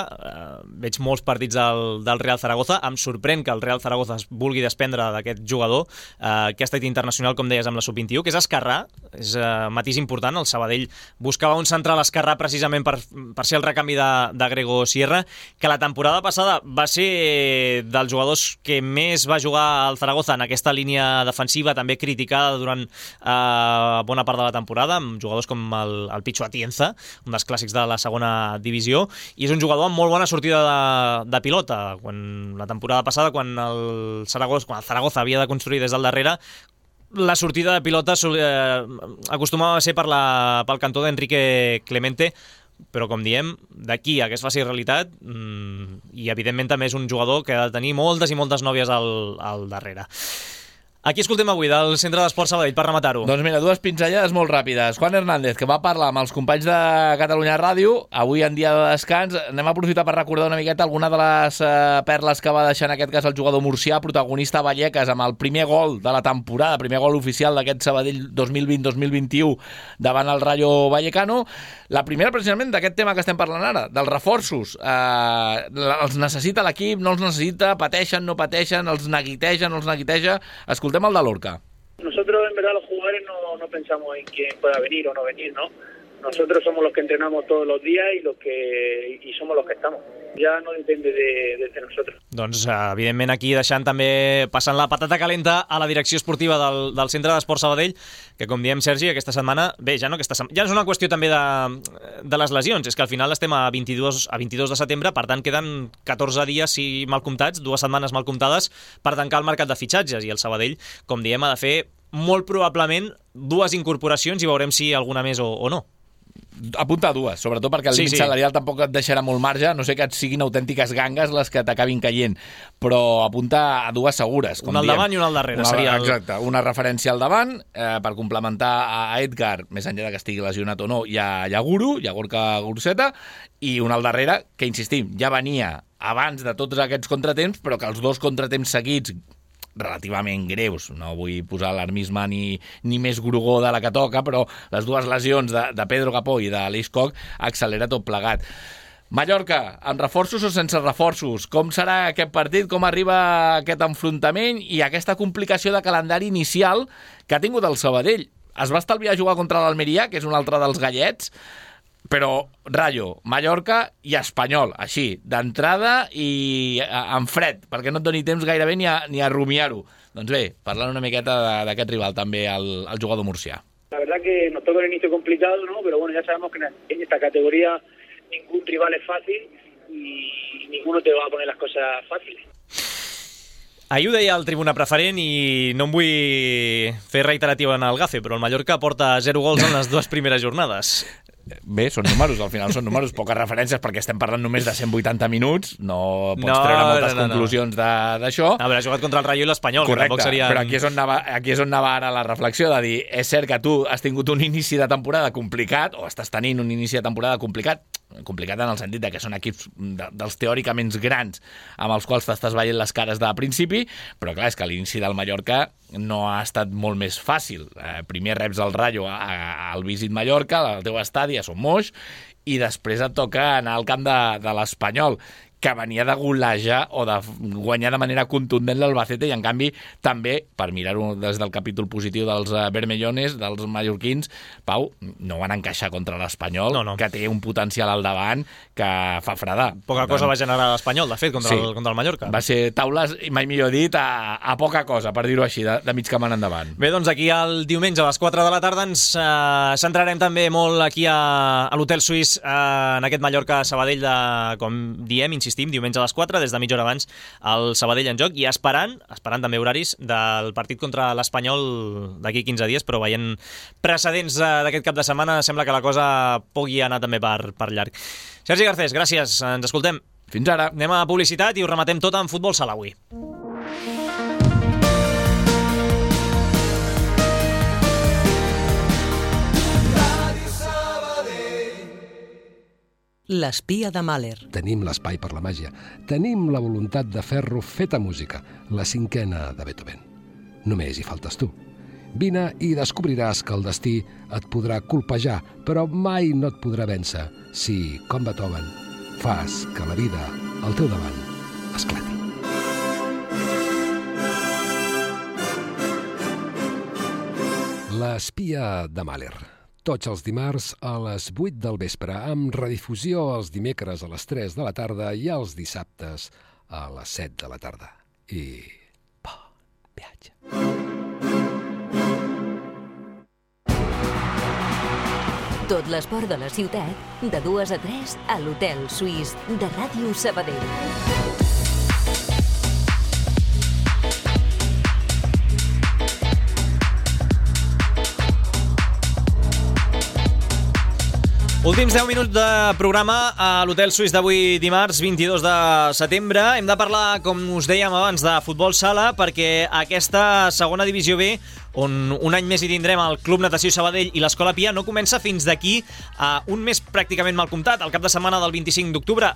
veig molts partits del Real Zaragoza. Em sorprèn que el Real Zaragoza es vulgui desprendre d'aquest jugador, que ha estat internacional, com deies, amb la Sub-21, que és esquerrà, és matís important. El Sabadell buscava un central esquerrà precisament per ser el recanvi de Grego Sierra, que la temporada passada va ser dels jugadors que més va jugar al Zaragoza en aquesta línia defensiva, també criticada durant bona part de la temporada, amb jugadors com el Pichu Atienza, un dels clàssics de la segona divisió, i és un jugador amb molt bona sortida de pilota. La temporada passada, quan el Zaragoza havia de construir des del darrere, la sortida de pilota acostumava a ser pel cantó d'Enrique Clemente, però com diem, d'aquí a que es faci realitat, i evidentment també és un jugador que ha de tenir moltes i moltes nòvies al darrere. Aquí escoltem avui del Centre d'Esports Sabadell per rematar-ho. Doncs mira, dues pinzellades molt ràpides. Juan Hernández, que va parlar amb els companys de Catalunya Ràdio, avui en dia de descans. Anem a aprofitar per recordar una miqueta alguna de les perles que va deixar en aquest cas el jugador murcià, protagonista a Vallecas, amb el primer gol de la temporada, primer gol oficial d'aquest Sabadell 2020-2021 davant el Rayo Vallecano. La primera, precisament, d'aquest tema que estem parlant ara, dels reforços. Els necessita l'equip, no els necessita, pateixen, no pateixen, els neguiteja, no els neguiteja. Escoltem el de Lorca. Nosotros, en verdad, los jugadores no pensamos en quién pueda venir o no venir, ¿no? Nosotros somos los que entrenamos todos los días y somos los que estamos. Ja no depende de nosotros. Doncs, evidentment, aquí deixant també, passant la patata calenta a la direcció esportiva del Centre d'Esports Sabadell, que, com diem, Sergi, aquesta setmana, bé, ja no és una qüestió també de les lesions, és que al final estem a 22 de setembre, per tant, queden 14 dies, si mal comptats, 2 setmanes mal comptades, per tancar el mercat de fitxatges, i el Sabadell, com diem, ha de fer molt probablement 2 incorporacions i veurem si alguna més o no. Apunta a 2, sobretot perquè el límit salarial tampoc et deixarà molt marge, no sé que et siguin autèntiques gangues les que t'acabin caient, però apunta a 2 segures. Un al davant i un al darrere. Exacte, una referència al davant per complementar a Edgar, més enllà que estigui lesionat o no, hi ha Guru, hi ha Gorka Guruceta, i un al darrere, que insistim, ja venia abans de tots aquests contratemps, però que els 2 contratemps seguits relativament greus, no vull posar alarmisme ni més grugó de la que toca, però les 2 lesions de Pedro Capó i d'Aleix Koch accelera tot plegat. Mallorca, amb reforços o sense reforços? Com serà aquest partit? Com arriba aquest enfrontament i aquesta complicació de calendari inicial que ha tingut el Sabadell? Es va estalviar jugar contra l'Almeria, que és un altre dels gallets, però Rayo, Mallorca i Espanyol, així, d'entrada i en fred, perquè no et doni temps gairebé ni a rumiar-ho. Doncs bé, parlant una miqueta d'aquest rival també, el jugador murcià. La verdad que nos toca un inicio complicado, ¿no? Pero bueno, ya sabemos que en esta categoría ningún rival es fácil y ninguno te va a poner las cosas fáciles. Ahir ho deia el tribuna preferent i no em vull fer reiterativa en el gafe, però el Mallorca porta 0 gols en les 2 primeres jornades. Bé, són números, al final són números, poques referències perquè estem parlant només de 180 minuts, no pots treure moltes conclusions d'això. A veure, ha jugat contra el Rayo i l'Espanyol. Correcte, però aquí és on anava ara la reflexió, de dir, és cert que tu has tingut un inici de temporada complicat, o estàs tenint un inici de temporada complicat en el sentit de que són equips dels teòricament grans amb els quals t'estàs veient les cares de principi, però clar, és que l'inici del Mallorca no ha estat molt més fàcil. Primer reps el Rayo al Visit Mallorca, al teu estadi, a Son Moix, i després et toca anar al camp de l'Espanyol, que venia de golejar o de guanyar de manera contundent l'Albacete, i en canvi també, per mirar-ho des del capítol positiu dels vermellones, dels mallorquins, Pau, no van encaixar contra l'Espanyol, que té un potencial al davant que fa fredar. Poca cosa va generar l'Espanyol, de fet, contra el Mallorca. Va ser taules, i mai millor dit, a poca cosa, per dir-ho així, de mig camp en endavant. Bé, doncs aquí el diumenge a les 4 de la tarda ens centrarem també molt aquí a l'Hotel Suís, en aquest Mallorca-Sabadell, com diem, insistim, insistim, diumenge a les 4, des de mitja hora abans, el Sabadell en joc, i esperant també horaris del partit contra l'Espanyol d'aquí 15 dies, però veient precedents d'aquest cap de setmana, sembla que la cosa pugui anar també per llarg. Sergi Garcés, gràcies, ens escoltem. Fins ara. Anem a publicitat i ho rematem tot en futbol sala avui. L'espia de Mahler. Tenim l'espai per la màgia. Tenim la voluntat de fer-lo feta música, la 5a de Beethoven. Només hi faltes tu. Vine i descobriràs que el destí et podrà colpejar, però mai no et podrà vèncer si, com Beethoven, fas que la vida al teu davant esclati. L'espia de Mahler. Tots els dimarts a les 8 del vespre, amb redifusió els dimecres a les 3 de la tarda i els dissabtes a les 7 de la tarda. I bon viatge. Tot l'esport de la ciutat, de 2 a 3 a l'Hotel Suís de Ràdio Sabadell. Últims 10 minuts de programa a l'Hotel Suís d'avui dimarts 22 de setembre. Hem de parlar, com us dèiem abans, de futbol sala, perquè aquesta segona divisió B, on un any més hi tindrem el Club Natació Sabadell i l'Escola Pia, no comença fins d'aquí a un mes pràcticament mal comptat, el cap de setmana del 25 d'octubre.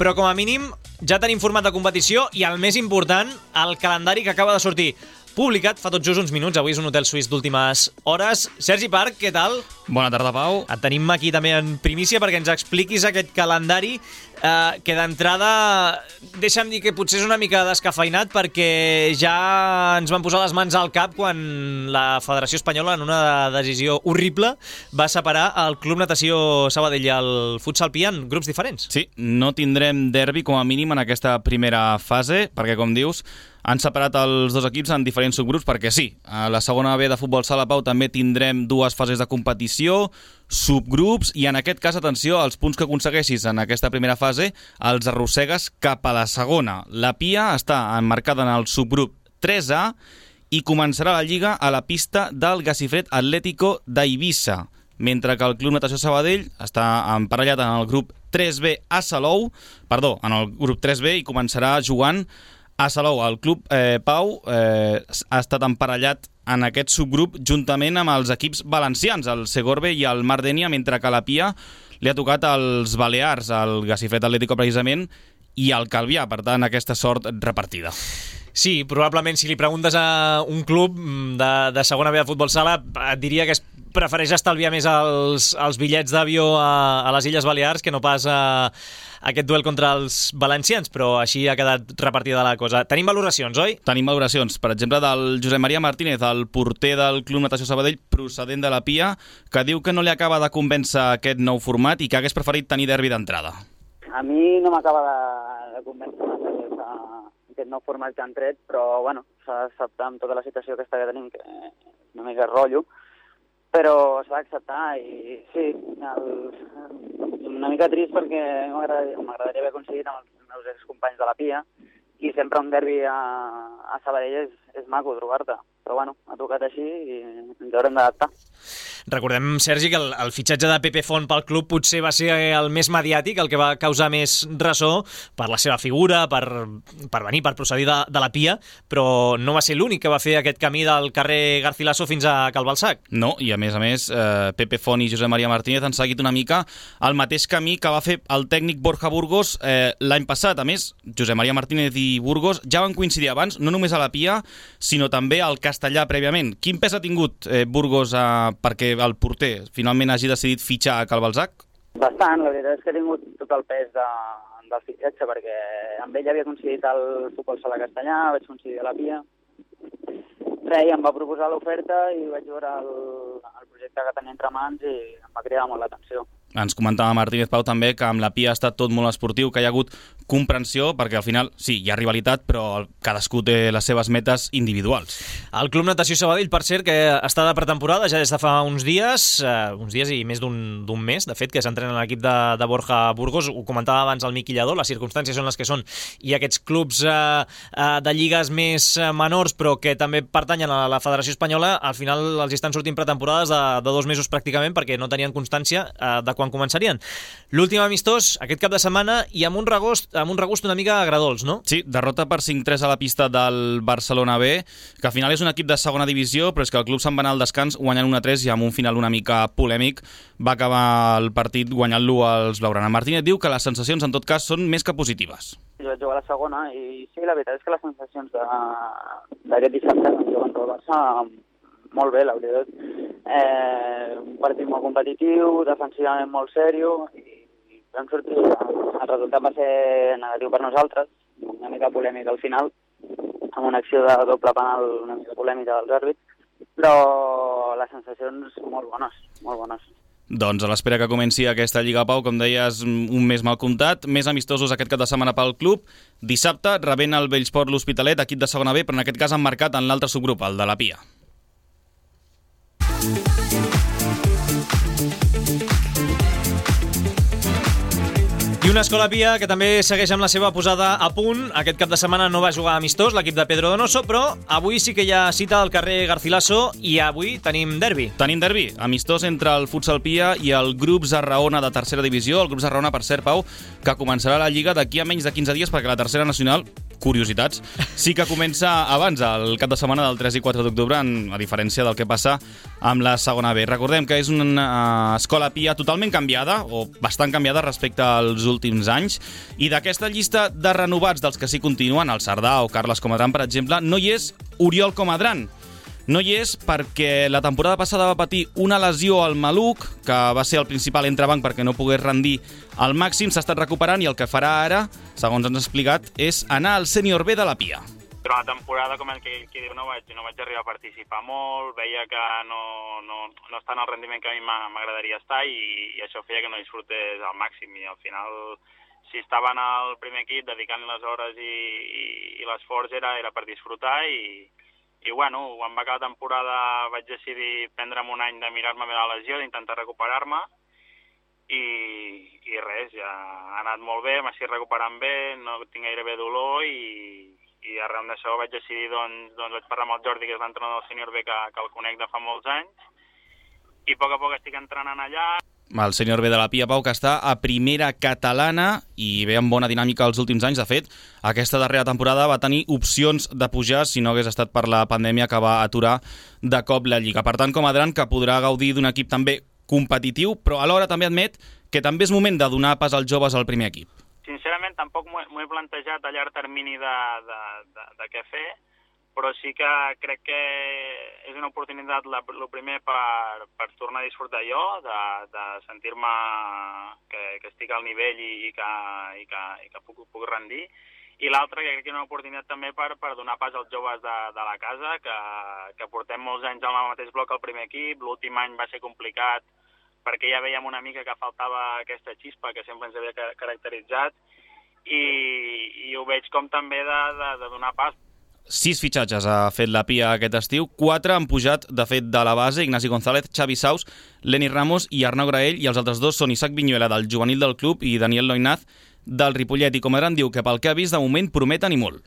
Però com a mínim ja tenim format de competició i el més important, el calendari que acaba de sortir publicat fa tot just uns minuts. Avui és un hotel suís d'últimes hores. Sergi Parc, què tal? Bona tarda, Pau. Et tenim aquí també en primícia perquè ens expliquis aquest calendari que d'entrada, deixa'm dir que potser és una mica descafeinat, perquè ja ens van posar les mans al cap quan la Federació Espanyola, en una decisió horrible, va separar el Club Natació Sabadell i el Futsal Pia en grups diferents. Sí, no tindrem derbi com a mínim en aquesta primera fase, perquè, com dius, han separat els dos equips en diferents subgrups, perquè sí, a la segona B de futbol sala, Pau, també tindrem dues fases de competició, subgrups, i en aquest cas, atenció, els punts que aconsegueixis en aquesta primera fase els arrossegues cap a la segona. La Pia està emmarcada en el subgrup 3A i començarà la lliga a la pista del Gacifred Atlético d'Eivissa, mentre que el Club Natació Sabadell està emparellat en el grup 3B a Salou, en el grup 3B, i començarà jugant a Salou. El club Pau ha estat emparellat en aquest subgrup juntament amb els equips valencians, el Segorbe i el Mar Dénia, mentre que la Pia li ha tocat als Balears, el Gacifred Atlético precisament, i el Calvià, per tant, aquesta sort repartida. Sí, probablement si li preguntes a un club de segona B de futbol sala et diria que prefereix estalviar més els bitllets d'avió a les Illes Balears que no pas aquest duel contra els valencians, però així ha quedat repartida la cosa. Tenim valoracions, oi? Tenim valoracions, per exemple, del Josep Maria Martínez, el porter del Club Natació Sabadell, procedent de la Pia, que diu que no li acaba de convèncer aquest nou format i que hagués preferit tenir derbi d'entrada. A mi no m'acaba de convèncer aquest nou format que han tret, però bueno, s'ha d'acceptar amb tota la situació aquesta que tenim, que una mica rotllo, però s'ha d'acceptar i sí, una mica trist perquè m'agradaria haver aconseguit amb els meus excompanys de la Pia i sempre un derbi a Sabadell és maco trobar-te, però bueno, ha tocat així i ens haurem d'adaptar. Recordem, Sergi, que el fitxatge de Pepe Font pel club potser va ser el més mediàtic, el que va causar més ressò per la seva figura, per venir, per procedir de la Pia, però no va ser l'únic que va fer aquest camí del carrer Garcilaso fins a Cal Balsac. No, i a més, Pepe Font i Josep Maria Martínez han seguit una mica el mateix camí que va fer el tècnic Borja Burgos l'any passat. A més, Josep Maria Martínez i Burgos ja van coincidir abans, no només a la Pia, sinó també al Castellà prèviament. Quin pes ha tingut Burgos perquè el porter finalment hagi decidit fitxar a Cal Balsac? Bastant, la veritat és que ha tingut tot el pes del fitxatge, perquè amb ell havia coincidit el futbol sala castellà, vaig coincidir a la Pia. Res, em va proposar l'oferta i vaig veure el projecte que tenia entre mans i em va cridar molt l'atenció. Ens comentava Martínez Pau també que amb la Pia ha estat tot molt esportiu, que hi ha hagut comprensió, perquè al final, sí, hi ha rivalitat, però cadascú té les seves metes individuals. El Club Natació Sabadell, per cert, que està de pretemporada ja des de fa uns dies i més d'un mes, de fet, que s'entrena l'equip de Borja Burgos. Ho comentava abans el Miqui Lladó, les circumstàncies són les que són, i aquests clubs de lligues més menors, però que també pertanyen a la Federació Espanyola, al final els estan sortint pretemporades de 2 mesos pràcticament, perquè no tenien constància de quan començarien. L'últim amistós, aquest cap de setmana, i amb un regust una mica agradolç, no? Sí, derrota per 5-3 a la pista del Barcelona B, que al final és un equip de segona divisió, però és que el club se'n va anar al descans guanyant 1-3 i amb un final una mica polèmic va acabar el partit guanyant-lo als Blaugrana. Martínez diu que les sensacions en tot cas són més que positives. Jo vaig jugar a la segona i sí, la veritat és que les sensacions d'aquest dissabte jugant al Barça molt bé, la veritat. Un partit molt competitiu, defensivament molt sèrio, i vam sortir, el resultat va ser negatiu per nosaltres, una mica polèmica al final, amb una acció de doble penal una mica polèmica dels àrbits, però les sensacions molt bones, molt bones. Doncs a l'espera que comenci aquesta Lliga Pau, com deies, un mes mal comptat, més amistosos aquest cap de setmana pel club. Dissabte rebent el Bellsport l'Hospitalet, equip de segona B, però en aquest cas emmarcat en l'altre subgrup, el de la Pia. I una Escola Pia que també segueix amb la seva posada a punt. Aquest cap de setmana no va jugar amistós l'equip de Pedro Donoso, però avui sí que hi ha cita al carrer Garcilaso i avui tenim derbi. Tenim derbi, amistós entre el Futsal Pia i el Grup Zarraona de tercera divisió. El Grup Zarraona, per cert, Pau, que començarà la Lliga d'aquí a menys de 15 dies, perquè la tercera nacional, curiositats, sí que comença abans, el cap de setmana del 3 i 4 d'octubre, a diferència del que passa amb la segona B. Recordem que és una Escola Pia totalment canviada, o bastant canviada respecte als últims anys, i d'aquesta llista de renovats dels que sí continuen, el Cerdà o Carles Comadran, per exemple, no hi és Oriol Comadran. No hi és perquè la temporada passada va patir una lesió al maluc, que va ser el principal entrebanc perquè no pogués rendir al màxim, s'ha estat recuperant i el que farà ara, segons ens ha explicat, és anar al sènior B de la Pia. Durant la temporada, com el que diu, no vaig arribar a participar molt, veia que no està en el rendiment que a mi m'agradaria estar i això feia que no disfrutés al màxim i al final, si estava en el primer equip dedicant les hores i l'esforç era per disfrutar i bueno, quan va acabar la temporada vaig decidir prendre'm un any de mirar-me bé la lesió, d'intentar recuperar-me i res, ja ha anat molt bé, m'estic recuperant bé, no tinc gairebé dolor i arrel d'això vaig decidir, doncs vaig parlar amb el Jordi, que és l'entrenador del sènior B, que el conec de fa molts anys, i a poc estic entrenant allà. El sènior B de la Pia, Pau, que està a primera catalana i ve amb bona dinàmica els últims anys. De fet, aquesta darrera temporada va tenir opcions de pujar si no hagués estat per la pandèmia que va aturar de cop la Lliga. Per tant, Comadran, que podrà gaudir d'un equip també competitiu, però alhora també admet que també és moment de donar pas als joves al primer equip. Sincerament, tampoc m'ho he plantejat a llarg termini de què fer, però sí que crec que és una oportunitat, el primer, per tornar a disfrutar jo, de sentir-me que estic al nivell i que puc rendir, i l'altre, que crec que és una oportunitat també per donar pas als joves de la casa, que portem molts anys al mateix bloc al primer equip. L'últim any va ser complicat perquè ja veiem una mica que faltava aquesta xispa que sempre ens havia caracteritzat i ho veig com també de donar pas. 6 fitxatges ha fet la Pia aquest estiu, 4 han pujat, de fet, de la base, Ignasi González, Xavi Saus, Leni Ramos i Arnau Graell, i els altres dos són Isaac Viñuela, del juvenil del club, i Daniel Loinaz, del Ripollet. I Comadran diu que pel que ha vist, de moment prometen i molt.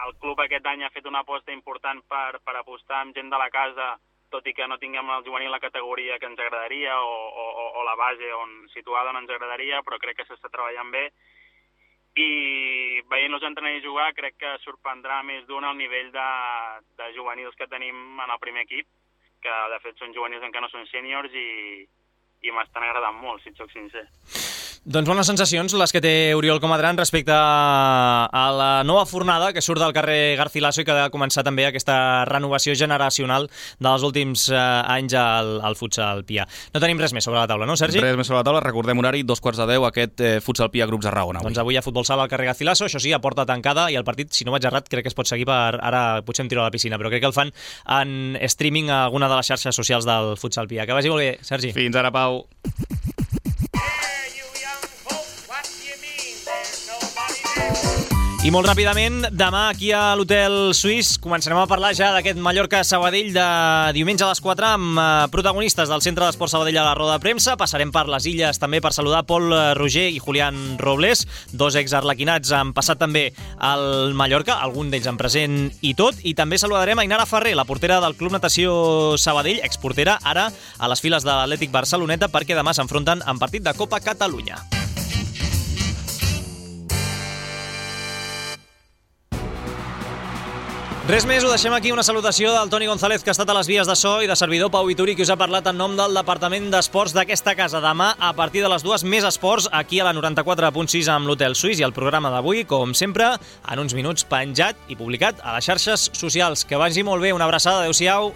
El club aquest any ha fet una aposta important per apostar amb gent de la casa, tot i que no tinguem el juvenil la categoria que ens agradaria o la base situada on ens agradaria, però crec que s'està treballant bé. I veient-los entrenar i jugar crec que sorprendrà més d'un al nivell de juvenils que tenim en el primer equip, que de fet són juvenils encara no són sèniors i m'estan agradant molt, si et soc sincer. Doncs bones sensacions les que té Oriol Comadran respecte a la nova fornada que surt del carrer Garcilaso i que ha de començar també aquesta renovació generacional dels últims anys al futsal Pia. No tenim res més sobre la taula, no, Sergi? Res més sobre la taula, recordem horari, 2:15, aquest futsal Pia Grup Zarraona. Doncs avui hi ha futbol sala al carrer Garcilaso, això sí, a porta tancada, i el partit, si no vaig errat, crec que es pot seguir ara potser em tiro a la piscina, però crec que el fan en streaming a alguna de les xarxes socials del futsal Pia. Que vagi molt bé, Sergi. Fins ara, Pau. I molt ràpidament, demà aquí a l'Hotel Suís començarem a parlar ja d'aquest Mallorca-Sabadell de diumenge a les 4 amb protagonistes del Centre d'Esport Sabadell a la roda de premsa. Passarem per les Illes també per saludar Pol Roger i Julián Robles, dos exarlequinats han passat també al Mallorca, algun d'ells en present i tot, i també saludarem a Ainara Ferrer, la portera del Club Natació Sabadell, exportera ara a les files de l'Atlètic Barceloneta, perquè demà s'enfronten en partit de Copa Catalunya. Res més, ho deixem aquí. Una salutació del Toni González, que ha estat a les vies de so, i de servidor Pau Vituri, que us ha parlat en nom del Departament d'Esports d'aquesta casa. Demà, a partir de les 2, més esports, aquí a la 94.6 amb l'Hotel Suís, i el programa d'avui, com sempre, en uns minuts penjat i publicat a les xarxes socials. Que vagi molt bé, una abraçada, adeu-siau.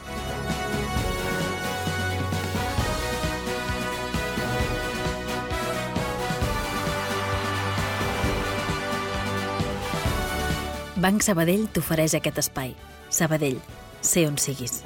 Banc Sabadell t'ofereix aquest espai. Sabadell, sé on siguis.